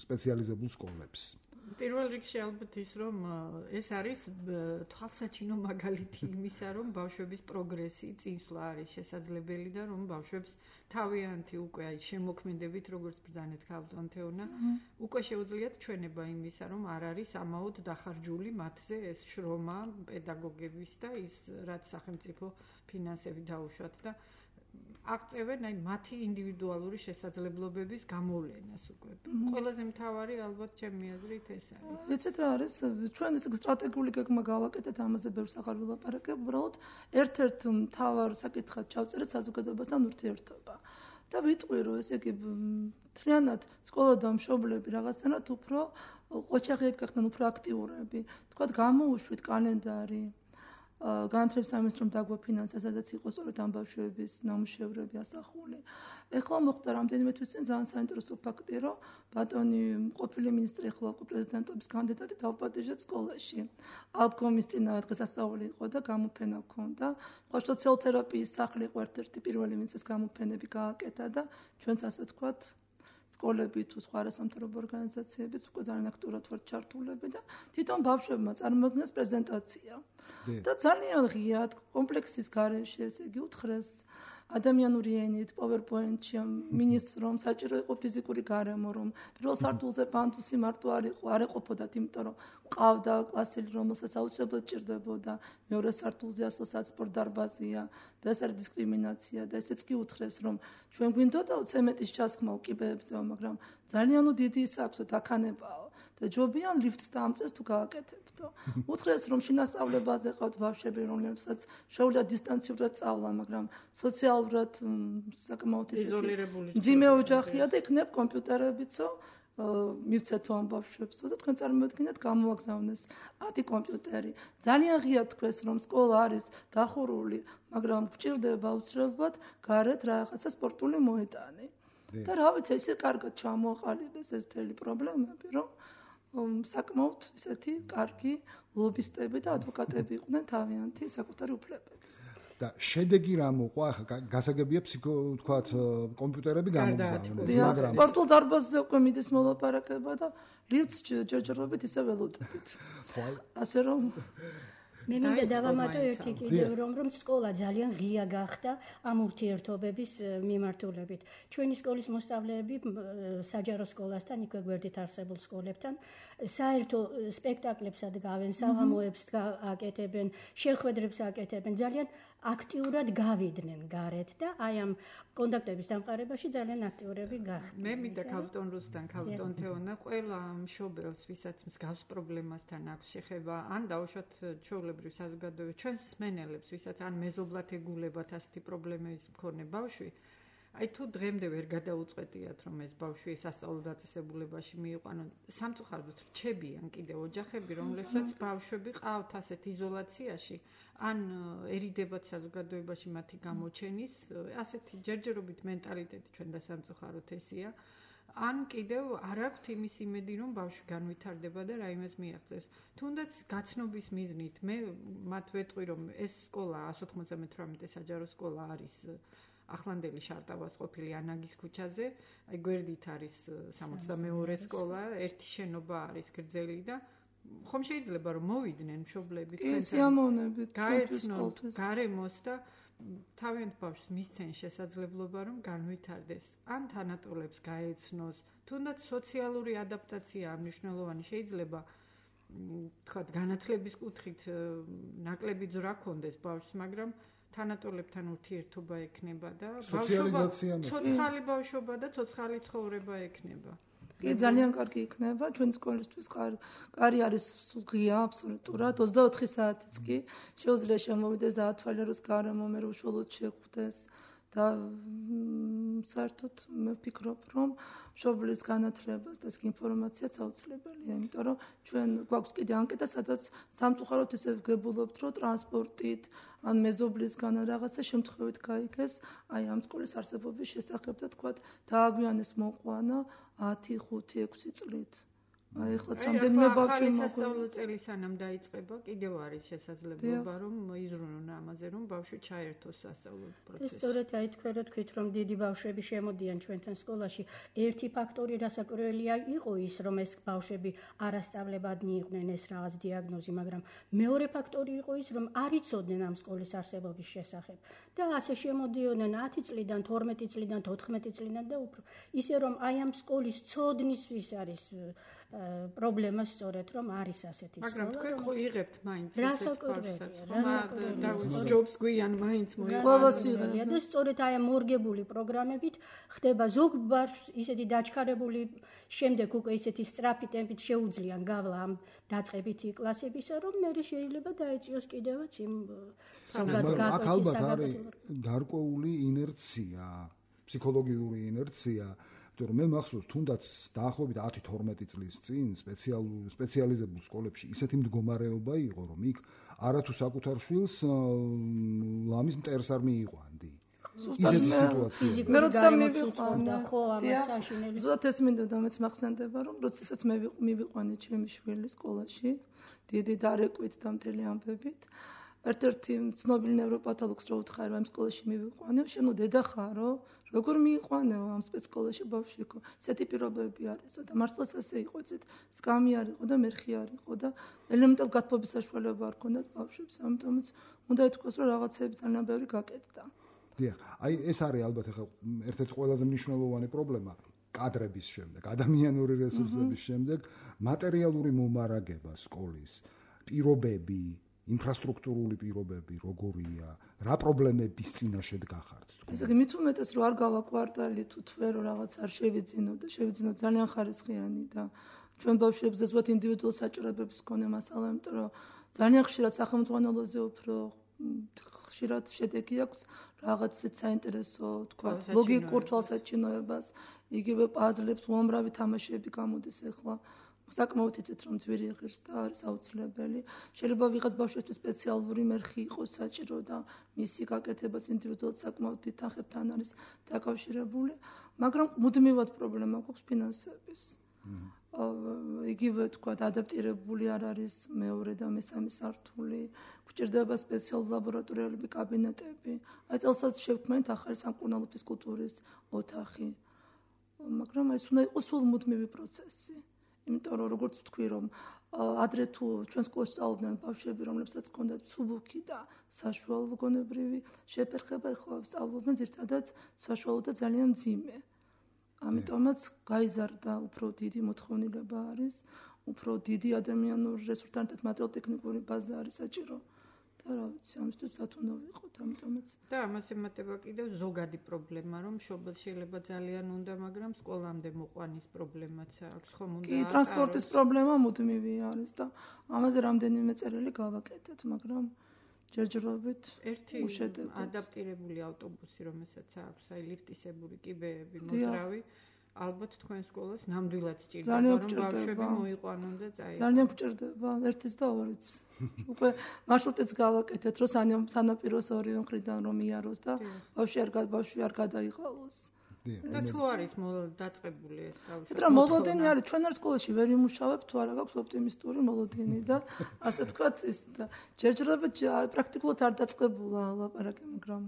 Speaker 3: სპეციალიზებულ სკოლებს?
Speaker 4: პირველ რიგში ალბათ ის რომ ეს არის თვალსაჩინო მაგალითი იმისა რომ ბავშვების პროგრესი წინსვლა არის შესაძლებელი და რომ ბავშვებს თავიანთი უკვე აი შემოქმედებით როგორც ბრძანეთ ქალბატონთეონა უკვე შეუძლიათ ჩვენება იმისა რომ არ არის ამაოდ დახარჯული მათზე ეს შრომა პედაგოგების და ის რაც სახელმწიფო ფინანსები დაუშვათ და აღწევენ აი მათი ინდივიდუალური შესაძლებლობების გამოვლენას უკვე. ყველაზე მთავარი ალბათ ჩემი აზრით ეს არის.
Speaker 5: ვიცით რა არის? ჩვენ ეს სტრატეგიული გეგმა გავაკეთეთ, ამაზე ბევრს აღარ ვილაპარაკებ, უბრალოდ ერთ-ერთ მთავარ საკითხად ჩავწერეთ საზოგადოებასთან ურთიერთობა. და ვიტყვი რომ ესე იგი მთლიანად სკოლა და მშობლები რაღაცნაირად უფრო ყოჩაღიები გახდნენ, უფრო აქტიურები. თქვათ გამოუშვით კალენდარი განათლების სამინისტრომ დაგვაფინანსა, სადაც იყო სწორედ ამ ბავშვების ნამუშევრები ასახული. ეხლა მოხდა რამდენიმე თვის წინ ძალიან საინტერესო ფაქტი, რომ ბატონი ყოფილი მინისტრი ეხლა უკვე პრეზიდენტობის კანდიდატი დავპატიჟეთ სკოლაში. ალკომის წინააღმდეგ დღესასწაული იყო და გამოფენა ჰქონდა. ხო, სოციალთერაპიის სახლი იყო ერთ-ერთი პირველი, ვინც ეს გამოფენები გააკეთა და ჩვენც ასე ვთქვათ სკოლები თუ სხვა არასამთავრობო ორგანიზაციებიც უკვე ძალიან აქტიურად ვართ ჩართულები და თვითონ ბავშვებმა წარმოადგენს პრეზენტაცია. და ძალიან ღიად კომპლექსის გარეშე, ესე იგი უთხრეს ადამიანური ენით, PowerPoint-ში მინისტრს რომ საჭირო იყო ფიზიკური გარემო, რომ პირველ სართულზე პანდუსი მარტო არ ეყოფოდათ, იმიტომ რომ ყავდა კლასელი, რომელსაც აუცილებლად ჭირდებოდა, მეორე სართულზე ასო საცბორ დარბაზია და ეს არის დისკრიმინაცია და ესეც კი უთხრეს, რომ ჩვენ გვინდოდა ცემენტის ჩასხმა უკიბეებზე, მაგრამ ძალიან დიდი ის აქვსოთ აქანებაო. და ჯობიან ლიფტს დაამწეს თუ გააკეთებთო. უთხრეს რომ შინასწავლებაზე ყავთ ბავშვები, რომლებსაც შეუძლია დისტანციურად სწავლა, მაგრამ სოციალურად საკმაოდ
Speaker 4: იზოლირებული
Speaker 5: მძიმე ოჯახია და იქნებ კომპიუტერებიცო მივცეთო ამ ბავშვებსო და თქვენ წარმოედგინეთ გამოაგზავნეს 10 კომპიუტერი. ძალიან ღიად თქვეს რომ სკოლა არის დახურული, მაგრამ გვჭირდება უცებრად გარეთ რაღაცა სპორტული მოედანი. და რა ვიცი, ისე კარგად ჩამოაყალიბეს ეს მთელი პრობლემები, რომ საკმაოდ ისეთი კარგი ლობისტები და ადვოკატები იყვნენ თავიანთი საკუთარი უფლებების.
Speaker 3: და შედეგი რა მოყვა? ახლა გასაგებია თქვათ კომპიუტერები გამოგზავნეს, მაგრამ
Speaker 5: სპორტულ დარბაზზე უკვე მიდის მოლაპარაკება და ლიფტს ჯერჯერობით ისე ველოდებით. ასე რომ
Speaker 6: მე მინდა დავამატო ერთი კიდევ რომ სკოლა ძალიან ღია გახდა ამ ურთიერთობების მიმართულებით. ჩვენი სკოლის მოსწავლეები საჯარო სკოლასთან, იქვე გვერდით არსებულ სკოლებთან საერთო სპექტაკლებსა დგავენ, საღამოებს აკეთებენ, შეხვედრებს აკეთებენ, ძალიან აქტიურად გავიდნენ გარეთ და აი ამ კონტაქტების დამყარებაში ძალიან აქტიურები გახდნენ.
Speaker 4: მე მინდა ქალბატონ რუსთან, ქალბატონ თეონა, ყველა მშობელს, ვისაც მსგავს პრობლემასთან აქვს შეხება, ან დაუშვათ ჩვეულებრივ საზოგადოებას, ჩვენს მსმენელებს, ვისაც ან მეზობლად ეგულებათ ასეთი პრობლემების მქონე ბავშვი, აი თუ დღემდე ვერ გადაუწყვეტიათ რომ ეს ბავშვი სასწავლო დაწესებულებაში მიიყვანონ, სამწუხაროდ რჩებიან კიდევ ოჯახები, რომლებსაც ბავშვები ყავთ ასეთ იზოლაციაში, ან ერიდებათ საზოგადოებაში მათი გამოჩენის, ასეთი ჯერჯერობით მენტალიტეტი ჩვენ და სამწუხაროდ ესია, ან კიდევ არ აქვთ იმის იმედი რომ ბავშვი განვითარდება და რაიმეს მიაღწევს. თუნდაც გაცნობის მიზნით მე მათ ვეტყვი რომ ეს სკოლა 198 საჯარო სკოლა არის ახლანდელი შარტავას ყოფილი ანაგის ქუჩაზე, აი გვერდით არის 62 სკოლა, ერთი შენობა არის გრძელი და ხომ შეიძლება რომ მოვიდნენ მშობლები
Speaker 5: სიამოვნებით
Speaker 4: გაეცნოთ გარემოს და თავიანთ ბავშვს მისცენ შესაძლებლობა რომ განვითარდეს, ან თანატოლებს გაეცნოს, თუნდაც სოციალური ადაპტაცია მნიშვნელოვანი შეიძლება თქვათ განათლების კუთხით ნაკლები ძრა ქონდეს ბავშვს, მაგრამ თანატოლებთან ურთიერთობა ექნება და ცოცხალი ბავშვობა და ცოცხალი ცხოვრება ექნება.
Speaker 5: კი, ძალიან კარგი იქნება ჩვენ სკოლისთვის კარი არის ღია აბსოლუტურად 24 საათიც კი შეუძლია შემოვიდეს და ათვალიეროს გარემო მე რომ უშუალოდ შეხვდეს და საერთოდ მე ვფიქრობ რომ მშობლის განათლებას და ინფორმაციაც აუცილებელია, იმიტომ რომ ჩვენ გვაქვს კიდე ანკეტა, სადაც სამწუხაროდ ისე ვგებულობთ, რომ ტრანსპორტით ან მეზობლისგან რაღაცა შემთხვევით გაიგეს აი ამ სკოლის არსებობის შესახებ და თქვათ დააგვიანეს მოყვანა 10, 5, 6 წლით. აი ხლა რამდენიმე ბავშვი
Speaker 4: სასწავლო წელი სანამ დაიწყება, კიდევ არის შესაძლებლობა რომ იზრუნონ ამაზე, რომ ბავშვი ჩაერთოს სასწავლო პროცესში.
Speaker 6: სწორედ აი თქვით რომ დიდი ბავშვები შემოდიან ჩვენთან სკოლაში. ერთი ფაქტორი რასაკვირველია იყო ის, რომ ეს ბავშვები არასწავლებადნი იყვნენ, ეს რაღაც დიაგნოზი, მაგრამ მეორე ფაქტორი იყო ის, რომ არ იცოდნენ ამ სკოლის არსებობის შესახებ და ასე შემოდიოდნენ 10 წლიდან, 12 წლიდან, 14 წლიდან და უფრო. ისე რომ აი ამ სკოლის ცოდნისთვის არის პრობლემა სწორედ რომ არის ასეთი სკოლა.
Speaker 4: მაგრამ თქვენ ხო იღებთ მაინც
Speaker 6: ესეთ ბავშვსაც,
Speaker 4: და ჯობს გვიან მაინც
Speaker 6: მოიყვანებია და სწორედ აი მორგებული პროგრამებით ხდება ზოგ ბავშვს ისეთი დაჩქარებული შემდეგ უკვე ისეთი სწრაფი ტემპით შეუძლიან გავლა ამ დაწყებითი კლასებისა, რომ მე შეიძლება დაეწიოს კიდევაც იმ
Speaker 3: აქ ალბათ არის გარკვეული ინერცია, ფსიქოლოგიური ინერცია. მე მახსოვს თუნდაც დაახლოებით 10-12 წლის წინ სპეციალიზებულ სკოლებში ისეთი მდგომარეობა იყო, რომ იქ არათუ საკუთარ შვილს ლამის მტერს არ მიიყვანდი. ისეთი სიტუაცია.
Speaker 5: მე როცა მივიყვანდა, ხო, ამას აშინელი. ზუსტად ეს მინდოდა მეც მახსენდება, რომ როდესაც მე მივიყვანე ჩემი შვილი სკოლაში, დიდი დარეკვით და მთელი ამბებით. ერთ-ერთი ცნობილი ნევროპათოლოგს რო უთხარ ამ სკოლაში მივიყვანე, შენო დედა ხარო, როგორ მიიყვანეო ამ სპეცსკოლაში ბავშვი ხო? ესეთი პირობები არისო და მართლაც ასე იყო, ეცეთ სკამი არ იყო და მერხი არ იყო და ელემენტალ გათბობის საშუალება არ ქონდათ ბავშვებს, ამიტომაც უნდა ითქვას, რომ რაღაცები ძალიან ბევრი გაკეთდა.
Speaker 3: დიახ, აი ეს არის ალბათ ახლა ერთ-ერთი ყველაზე მნიშვნელოვანი პრობლემა კადრების შემდეგ, ადამიანური რესურსების შემდეგ, მატერიალური მომარაგება სკოლის, პირობები, ინფრასტრუქტურული პირობები როგორია, რა პრობლემების წინაშე დგახართ?
Speaker 5: ესე იგი, მით უმეტეს რომ არ გავა კვარტალი თუ თვე რომ რაღაც არ შევიძინო და შევიძინო ძალიან ხარისხიანი და ჩვენ ბავშვებზე ზუსტად ინდივიდუალ საჭიროებების მქონე მასალა, იმიტომ რომ ძალიან ხშირად სახელმძღვანელოზე უფრო ხშირად შედეგი აქვს რაღაც საინტერესო, თქვა, ლოგიკურ თვალსაჩინოებას, იგივე პაზლებს, უამრავი თამაშები გამოდის ახლა. საკმაოდ იცით რომ ძვირი ღირს და არის აუცილებელი. შეიძლება ვიღაც ბავშვისთვის სპეციალური მერხი იყოს საჭირო და მისი გაკეთებაც ინდივიდუალურად საკმაოდ დიდ თანხებთან არის დაკავშირებული, მაგრამ მუდმივად პრობლემა გვაქვს ფინანსების. იგივე თქვა ადაპტირებული არ არის მეორე და მესამე სართული, გვჭირდება სპეციალური ლაბორატორიულები, კაბინეტები. აი წელსაც შევქმნით ახალი სამკურნალო ფიზკულტურის ოთახი. მაგრამ ეს უნდა იყოს სულ მუდმივი პროცესი. იმიტომ რომ როგორც ვთქვი რომ ადრე თუ ჩვენ სკოლაში სწავლობდნენ ბავშვები რომლებსაც ჰქონდათ მსუბუქი და საშუალო გონებრივი შეფერხება, ახლა სწავლობენ ზირთადად საშუალო და ძალიან მძიმე. ამიტომაც გაიზარდა უფრო დიდი მოთხოვნილება არის, უფრო დიდი ადამიანური რესურსთან და მატერიალურ-ტექნიკური ბაზა არის საჭირო. და რა ვიცი, ამისთვის სად უნდა ვიყოთ, ამიტომაც.
Speaker 4: და ამას ემატება კიდევ ზოგადი პრობლემა, რომ მშობელს შეიძლება ძალიან უნდა, მაგრამ სკოლამდე მოყვანის პრობლემაც აქვს, ხომ უნდა.
Speaker 5: კი, ტრანსპორტის პრობლემა მუდმივი არის და ამაზე რამდენიმე წერილი გავაკეთეთ, მაგრამ ჯერჯერობით
Speaker 4: ერთი ადაპტირებული ავტობუსი, რომელსაც აქვს, აი ლიფტისებური კიბეები, მოძრავი, ალბათ თქვენ სკოლას ნამდვილად სჭირდება, რომ ბავშვები მოიყვანონ და წაიღონ.
Speaker 5: ძალიან გვჭირდება, ერთის და ორიც. უკვე მარშრუტიც გავაკეთეთ, რომ სანაპიროს ორივე მხრიდან რომ იაროს და ბავშვი არ გადაიღალოს.
Speaker 4: და თუ არის დაწყებული ეს ბავშვი.
Speaker 5: რა მოლოდინი არის, ჩვენ არ სკოლაში ვერ იმუშავებ, თუ არა გაქვს ოპტიმისტური მოლოდინი და ასე თქვათ ის და ჯერჯერობით პრაქტიკულად არ დაწყებულა ლაპარაკი, მაგრამ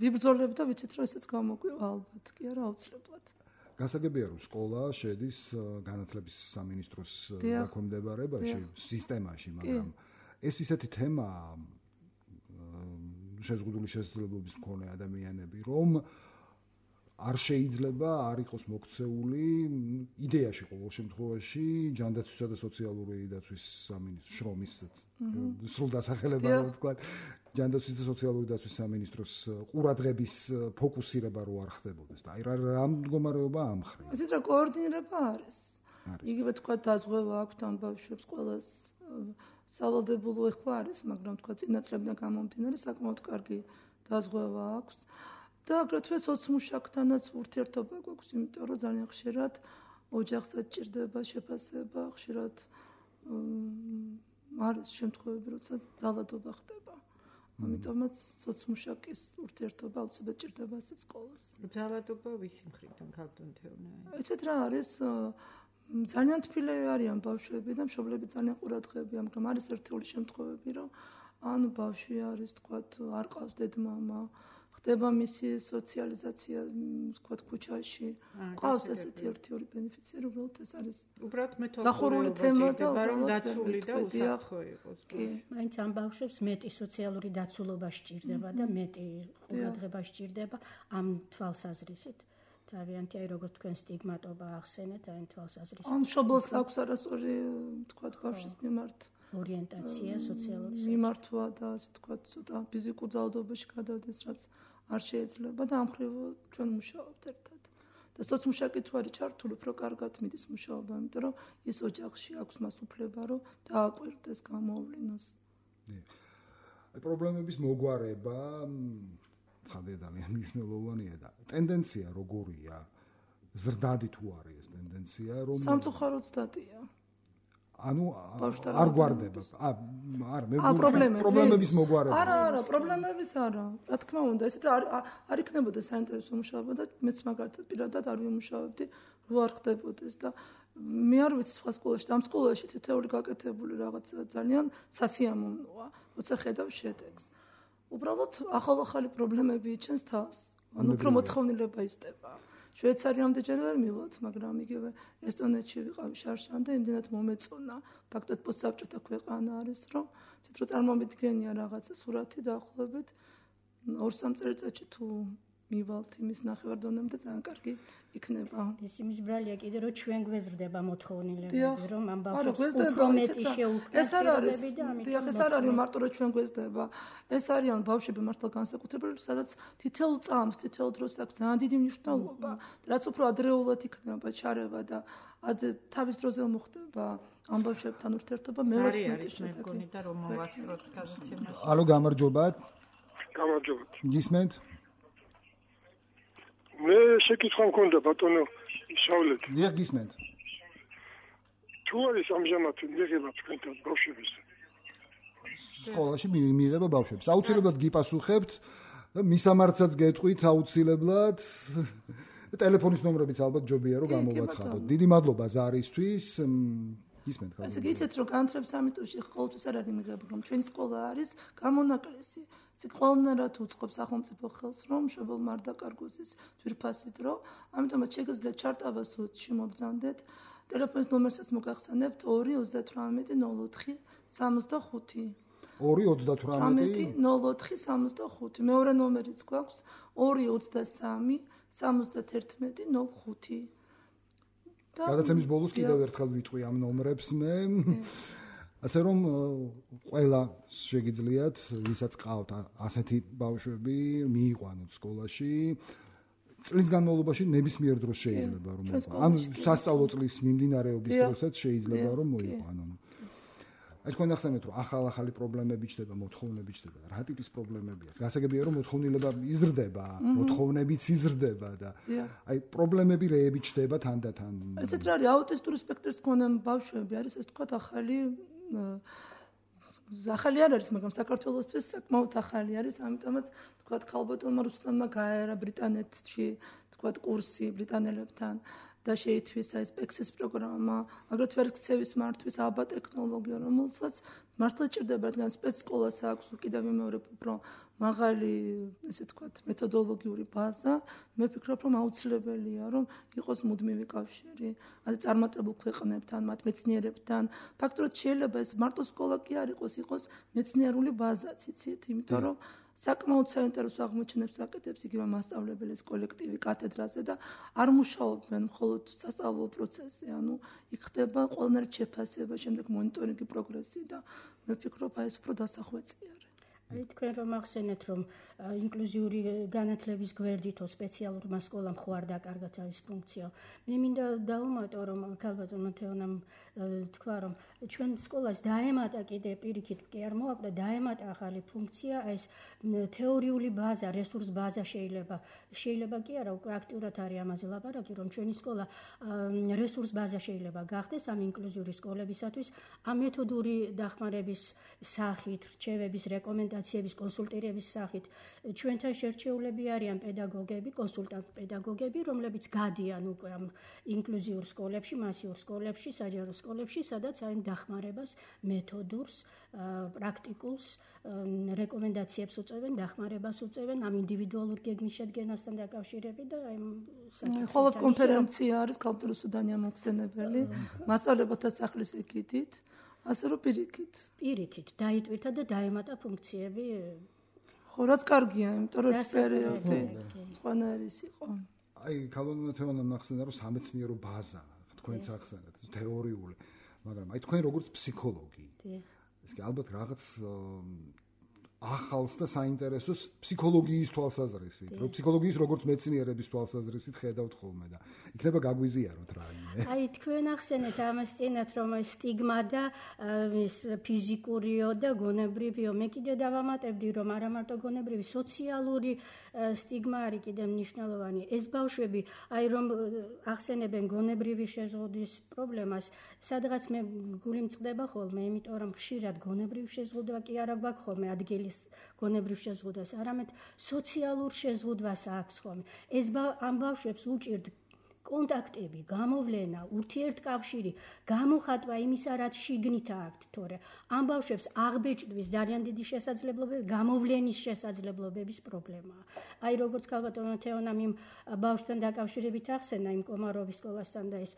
Speaker 5: ვიბრძოლებ და ვიცით რომ ესეც გამოგვივა ალბათ, კი არა აუცილებლად.
Speaker 3: გასაგებია რომ სკოლა შედის განათლების სამინისტროს დაქვემდებარებაში, სისტემაში, მაგრამ ეს ისეთი თემაა შეზღუდული შესაძლებლობის მქონე ადამიანები, რომ არ შეიძლება არ იყოს მოქცეული იდეაში ყოველ შემთხვევაში ჯანდაცვისა და სოციალური დაცვის სამინისტრო შრომის სრულ დასახელება რო ვთქვა ჯანდაცვის და სოციალური დაცვის სამინისტროს ყურადღების ფოკუსირება რო არ ხდებოდეს და აი რა მდგომარეობა ამხრე.
Speaker 5: ისეთ რა კოორდინირება არის. იგივე თქვა დაზღვევა აქვს ამ ბავშვებს ყველას სავალდებულო ეხლა არის, მაგრამ თქვა წინა წლებიდან გამომდინარე საკმაოდ კარგი დაზღვევა აქვს. და აგრეთვე სოციმუშაკთანაც ურთიერთობა გვაქვს, იმიტომ რომ ძალიან ხშირად ოჯახსაც ჭირდება შეფასება, ხშირად არის შემთხვევები, როცა ძალადობა ხდება. ამიტომაც სოციმუშაკის ურთიერთობა აუცილებლად ჭირდება ასეთ სკოლას.
Speaker 4: ძალადობა ვისი მხრიდან ქალბატონთეונה?
Speaker 5: ეცეთ რა არის ძალიან თბილები არიან ბავშვები და მშობლები ძალიან ყურადღებია, მაგრამ არის ერთეული შემთხვევები, რომ ანუ ბავშვი არის, თქვათ, არ ყავს დედმამა, ხდება მისი სოციალიზაცია, თქვათ, ქუჩაში. ყავს ესეთი ერთ-ორი ბენეფიციარი, უბრალოდ ეს არის
Speaker 4: უბრალოდ
Speaker 5: დახურული თემა და
Speaker 4: რომ დაცული და უსაფრთხო იყოს.
Speaker 5: კი,
Speaker 6: მაინც ამ ბავშვებს მეტი სოციალური დაცულობა სჭირდება და მეტი ყურადღება სჭირდება ამ თვალსაზრისით. თავიანთი აი როგორც თქვენ სტიგმატობა ახსენეთ, აი თვალსაზრისით.
Speaker 5: ან მშობელს აქვს არასწორი, თქვათ, ბავშვის მიმართ
Speaker 6: ორიენტაცია, სოციალური
Speaker 5: მიმართვა და ასე თქვათ, ცოტა ფიზიკურ ძალადობაში გადადის, რაც არ შეიძლება და ამ მხრივ ჩვენ მუშაობთ ერთად. და სოციმუშაკი თუ არის ჩართული, უფრო კარგად მიდის მუშაობა, იმიტომ რომ ის ოჯახში აქვს მას უფლება, რომ დააკვირდეს, გამოავლინოს.
Speaker 3: აი პრობლემების მოგვარება ცხადია ძალიან მნიშვნელოვანია და ტენდენცია როგორია? ზრდადი თუ არის ეს ტენდენცია, რომ
Speaker 5: სამწუხაროდ ზრდადია.
Speaker 3: ანუ არ გვარდება. არა, მე პრობლემების მოგვარება.
Speaker 5: არა, პრობლემების არა. რა თქმა უნდა, ესეთ არ იქნებოდა საინტერესო მუშაობა და მეც მაგალითად პირადად არ ვიმუშავებდი, რო არ ხდებოდეს და მე არ ვიცი სხვა სკოლაში, და ამ სკოლაში თითოეული გაკეთებული რაღაცა ძალიან სასიამოვნოა, როცა ხედავ შედეგს. უბრალოდ ახალ-ახალი პრობლემები იჩენს თავს. ანუ უფრო მოთხოვნილება იზრდება. შვეიცარიამდე ჯერ ვერ მივდით, მაგრამ იგივე ესტონეთში ვიყავი შარშან და იმდენად მომეწონა. ფაქტობრივად პოსტსაბჭოთა ქვეყანა არის, რომ ცით რო წარმომიდგენია რაღაცა სურათი დაახლოებით 2-3 წელიწადში თუ მივალთ იმის ნახევარდონემდე ძალიან კარგი იქნება.
Speaker 6: ეს იმის ბრალია კიდე რომ ჩვენ გვეზრდება მოთხოვნილებები, რომ ამ ბავშვებს უფრო მეტი შეუქმნათ.
Speaker 5: ეს არ არის, ეს არ არის მარტო რომ ჩვენ გვეზრდება. ეს არიან ბავშვები მართლა განსაკუთრებული, სადაც თითოეულ წამს, თითოეულ დროს აქვს ძალიან დიდი მნიშვნელობა. რაც უფრო ადრეულად იქნება ჩარევა და თავის დროზე მოხდება ამ ბავშვებთან ურთიერთობა,
Speaker 4: მე არის მეგონი და რომ მოვასწროთ გადაცემაში.
Speaker 3: ალო, გამარჯობათ.
Speaker 8: გამარჯობათ.
Speaker 3: გისმენთ?
Speaker 8: მე შეკითხვა მქონდა ბატონო შავლეთ.
Speaker 3: დიახ, გისმენთ.
Speaker 8: თუ არის ამჟამად მიღება თქვენთან ბავშვების
Speaker 3: სკოლაში მიიღება ბავშვებს. აუცილებლად გიპასუხებთ და მისამართსაც გეტყვით აუცილებლად. ტელეფონის ნომრებიც ალბათ ჯობია რომ გამოვაცხადოთ. დიდი მადლობა ზარისთვის. გისმენთ ხარ?
Speaker 5: ასე გიცეთ რომ განათლების სამინისტროში ყოველთვის არ არის მიღება, რომ ჩვენი სკოლა არის გამონაკლისი. ეს ყველანაირად უწყობს სახელმწიფო ხელს, რომ მშობელმა არ დაკარგოს ის ძვირფასი დრო. ამიტომაც შეგიძლიათ ჩარტავა სოციში მობრძანდეთ. ტელეფონის ნომერსაც მოგახსენებთ 2-38-04-65.
Speaker 3: 2-38-04-65.
Speaker 5: მეორე ნომერიც გვაქვს 2-23-71-05.
Speaker 3: გადაცემის ბოლოს კიდევ ერთხელ ვიტყვი ამ ნომრებს მე. ასე რომ ყველა შეგიძლიათ, ვისაც ყავთ ასეთი ბავშვები, მიიყვანოთ სკოლაში. წლის განმავლობაში ნებისმიერ დროს შეიძლება რომ მოიყვანონ. ანუ სასწავლო წლის მიმდინარეობის დროსაც შეიძლება რომ მოიყვანონ. აი თქვენ ახსენეთ რომ ახალ-ახალი პრობლემები ჩდება, მოთხოვნები ჩდება. რა ტიპის პრობლემებია? გასაგებია რომ მოთხოვნილება იზრდება, მოთხოვნებიც იზრდება და აი პრობლემები რეები ჩდება თანდათან.
Speaker 5: ესეთ რა არის აუტისტური სპექტრის მქონე ბავშვები არის ეს თქვა ახალი არ არის, მაგრამ საქართველოსთვის საკმაოდ ახალი არის, ამიტომაც თქვა ქალბატონმა რუსლანმა გაერა ბრიტანეთში თქვა კურსი ბრიტანელებთან და შეითვისა ეს პექსის პროგრამა, აგრეთვე ქცევის მართვის აბა ტექნოლოგია, რომელსაც მართლა ჭირდება, რადგან სპეცსკოლას აქვს კიდევ ვიმეორებ უფრო მაღალი, ესე თქვა, მეთოდოლოგიური ბაზა. მე ვფიქრობ, რომ აუცილებელია, რომ იყოს მუდმივი კავშირი, ანუ წარმატებულ ქვეყნებთან, მათ მეცნიერებთან. ფაქტობრივად შეიძლება ეს მარტო სკოლა კი არ იყოს მეცნიერული ბაზაც, იცით, იმიტომ რომ საკმაოდ საინტერესო აღმოჩენებს აკეთებს იგივე მასწავლებლის კოლექტივი კათედრაზე და არ მუშაობენ მხოლოდ სასწავლო პროცესზე, ანუ იქ ხდება ყველანაირი შეფასება, შემდეგ მონიტორინგი პროგრესი და მე ვფიქრობ, აი ეს უფრო დასახვეწი არის.
Speaker 6: აი თქვენ რომ ახსენეთ, რომ ინკლუზიური განათლების გვერდითო სპეციალურმა სკოლამ ხო არ დაკარგა თავის ფუნქციაო. მე მინდა დავუმატო, რომ ქალბატონმა თეონამ თქვა, რომ ჩვენ სკოლას დაემატა კიდე პირიქით კი არ მოაკვდა, დაემატა ახალი ფუნქცია, ეს თეორიული ბაზა, რესურს ბაზა შეიძლება კი არა, უკვე აქტიურად არის ამაზე ლაპარაკი, რომ ჩვენი სკოლა რესურს ბაზა შეიძლება გახდეს ამ ინკლუზიური სკოლებისათვის, ამ მეთოდური დახმარების სახით, რჩევების, რეკომენდაციების კონსულტაციების, კონსულტირების სახით. ჩვენთან შერჩეულები არიან პედაგოგები, კონსულტანტ-პედაგოგები, რომლებიც გადიან უკვე ამ ინკლუზიურ სკოლებში, მასიურ სკოლებში, საჯარო სკოლებში, სადაც აი დახმარებას, მეთოდურს, პრაქტიკულს, რეკომენდაციებს უწევენ, დახმარებას უწევენ ამ ინდივიდუალურ გეგმის შედგენასთან დაკავშირებით და აი
Speaker 5: ხოლო კონფერენცია არის კულტურის სუდანი ამოხსენებელი, მასწავლებელთა სახლის ეკიდით, ასე რომ
Speaker 6: პირიქით დაიტვირთა და დაემატა ფუნქციები.
Speaker 5: ხო, რაც კარგია, იმიტომ რომ ეს პერიოდი სხვანაირი იყო.
Speaker 3: აი, ქალბატონმა თეონამ ახსენა, რომ სამეცნიერო ბაზა, თქვენც ახსენეთ, თეორიული, მაგრამ აი თქვენ როგორც ფსიქოლოგი. ეს კი ალბათ რაღაც ახალს და საინტერესოს ფსიქოლოგიის თვალსაზრისით, რომ ფსიქოლოგიის როგორც მეცნიერების თვალსაზრისით ხედავთ ხოლმე და იქნება გაგვიზიაროთ რაიმე.
Speaker 6: აი თქვენ ახსენეთ ამას წინათ რომ სტიგმა და ეს ფიზიკურიო და გონებრივიო მე კიდე დავამატებდი რომ არა მარტო გონებრივი სოციალური სტიგმა არის კიდე მნიშვნელოვანი. ეს ბავშვები აი რომ ახსენებენ გონებრივი შეზღუდვის პრობლემას, სადღაც მე გული მწყდება ხოლმე, იმიტომ რომ ხშირად გონებრივი შეზღუდვა კი არა გვაქვს ხოლმე ადგილი გონებრივ შეზღუდვას, არამედ სოციალურ შეზღუდვას აქვს ხოლმე. ეს ამ ბავშვებს უჭირთ კონტაქტები, გამოვლენა, ურთიერთკავშირი, გამოხატვა იმისა, რაც შიგნით აქვთ, თორე ამ ბავშვებს აღბეჭდვის ძალიან დიდი შესაძლებლობები, გამოვლენის შესაძლებლობების პრობლემაა. აი როგორც ქალბატონმა თეონამ იმ ბავშვთან დაკავშირებით ახსენა იმ კომაროვის სკოლასთან და ეს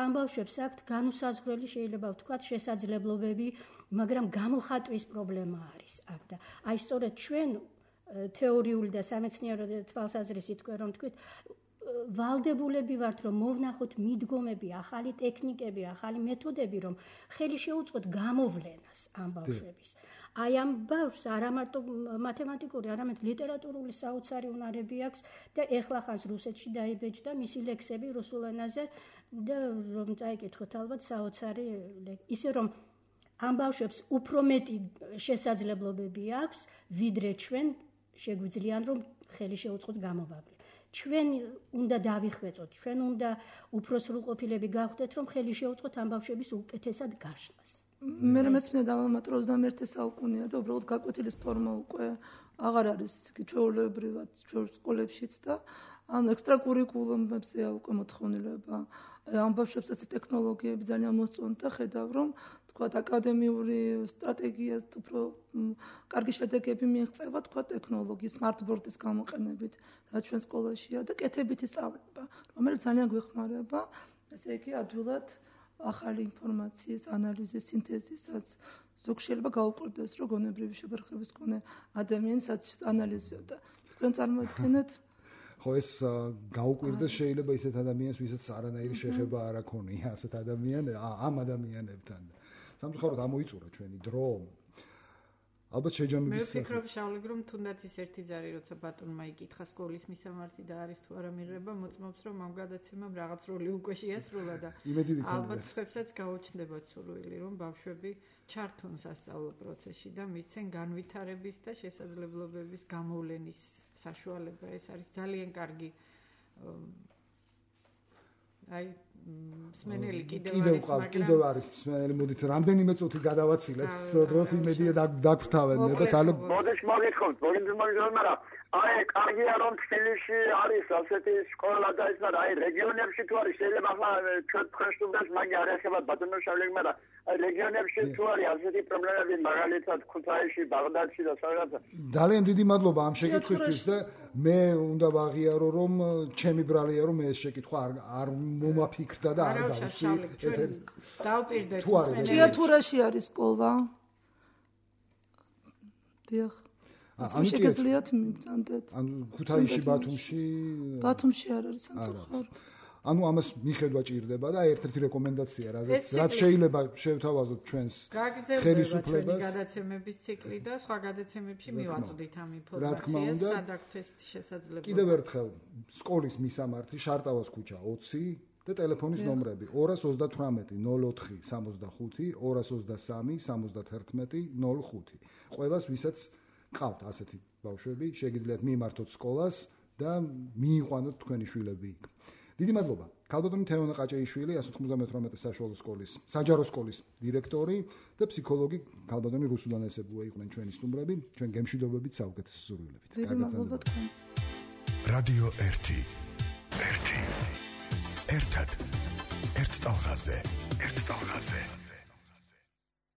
Speaker 6: ამ ბავშვებს აქვთ განუსაზღვრელი შეიძლება ვთქვათ შესაძლებლობები, მაგრამ გამოხატვის პრობლემა არის აქ და აი სწორედ ჩვენ თეორიული და სამეცნიერო თვალსაზრისით თქვენ რომ თქვით ვალდებულები ვართ რომ მოვნახოთ მიდგომები, ახალი ტექნიკები, ახალი მეთოდები, რომ ხელი შეუწყოთ გამოვლენას ამ ბავშვების. აი ამ ბავშვს არა მარტო მათემატიკური, არამედ ლიტერატურული საოცარი უნარები აქვს და ეხლა ხანს რუსეთში დაიბეჭდა მისი ლექსები რუსულ ენაზე და რომ წაიკითხოთ ალბათ საოცარი ისე რომ ამ ბავშვებს უფრო მეტი შესაძლებლობები აქვს, ვიდრე ჩვენ შეგვიძლიათ რომ ხელი შეუწყოთ გამოვაბლი. ჩვენ უნდა დავიხვეწოთ, ჩვენ უნდა უფრო სრულყოფილები გავხდეთ, რომ ხელი შეუწყოთ ამ ბავშვების უკეთესად გაშლას.
Speaker 5: მე მეცნიერად დავამატრო 21 საუკუნეა და უბრალოდ გაკვეთილის ფორმა უკვე აღარ არის ჩვეულებრივად ჩვენ სკოლებშიც და ამ ექსტრაკურიკულუმებზეა უკვე მოთხოვნილება. ამ ბავშვებსაც ტექნოლოგიები ძალიან მოსწონთ და ხედავ რომ თქვათ აკადემიური სტრატეგია უფრო კარგი შედეგები მიიღწევა თქვათ ტექნოლოგიის სმარტბორდის გამოყენებით, რაც ჩვენ სკოლაშია და კეთებითი სწავლება, რომელიც ძალიან გვეხმარება, ესე იგი ადვილად ახალი ინფორმაციის ანალიზის, სინთეზისაც ზოგ შეიძლება გაუკვირდეს, რომ გონებრივი შებერხების მქონე ადამიანსაც ანალიზიოდა. თქვენ წარმოიდგინეთ
Speaker 3: ხო ეს გაუკვირდეს შეიძლება ისეთ ადამიანს, ვისაც არანაირი შეხება არ აქონია ასეთ ამ ადამიანებთან. სამწუხაროდ ამოიწურა ჩვენი დრო. ალბათ შეჯამების
Speaker 4: მე ვფიქრობ შავლებ რომ თუნდაც ის ერთი ზარი როცა ბატონმა იკითხა სკოლის მისამართი და არის თუ არა მიღება, მოწმობს რომ ამ გადაცემამ რაღაც როლი უკვე შეასრულა და ალბათ სხვებსაც გაუჩნდებათ სურვილი რომ ბავშვები ჩართონ სასწავლო პროცესში და მისცენ განვითარების და შესაძლებლობების გამოვლენის საშუალება. ეს არის ძალიან კარგი აი მსმენელი
Speaker 3: კიდევ არის მსმენელი, მოდით რამდენიმე წუთი გადავაცილებთ დროს იმედია დაგვრთავენ და
Speaker 9: მოდის მოგიხოთ მაგრამ აი კარგია რომ თბილისში არის ასეთი სკოლა და ის მაგრამ აი რეგიონებში თუ არის შეიძლება ახლა ჩვენ სტუდენტს მაგარი არ ეხება ბატონო შავლები მაგრამ აი რეგიონებში თუ არის ასეთი პრობლემები მაგალითად ქუთაისში, ბაღდადში და სადღაცა
Speaker 3: ძალიან დიდი მადლობა ამ შეკითხვისთვის და მე უნდა ვაღიარო რომ ჩემი ბრალია რომ ეს შეკითხვა არ მომაფიქრდა და არ დავსვი
Speaker 4: დავპირდეთ
Speaker 5: ჭიათურაში არის სკოლა დიახ ანუ შეგიძლიათ მიბრძანდეთ
Speaker 3: ანუ ქუთაისში ბათუმში
Speaker 5: არ არის სამწუხაროდ
Speaker 3: ანუ ამას მიხედვა ჭირდება და ერთ-ერთი რეკომენდაცია რაც შეიძლება შევთავაზოთ ჩვენს ხელისუფლებას
Speaker 4: გადაცემების ციკლი და სხვა გადაცემებში მივაწვდით ამ ინფორმაციას სადაგთვის შესაძლებლობა.
Speaker 3: კიდევ ერთხელ სკოლის მისამართი შარტავას ქუჩა 20 და ტელეფონის ნომრები 238 04 65 223 71 05. ყველას ვისაც ყავთ ასეთი ბავშვები, შეგიძლიათ მიმართოთ სკოლას და მიიყვანოთ თქვენი შვილები იქ. დიდი მადლობა. ქალბატონი თეონა ყაჭეიშვილი 198 საშუალო სკოლის საჯარო სკოლის დირექტორი და ფსიქოლოგი ქალბატონი რუსულან ესებუა იყვნენ ჩვენი სტუმრები, ჩვენ გემშვიდობებით საუკეთესო სურვილებით.
Speaker 1: რადიო 1 ერთად ერთ ტალღაზე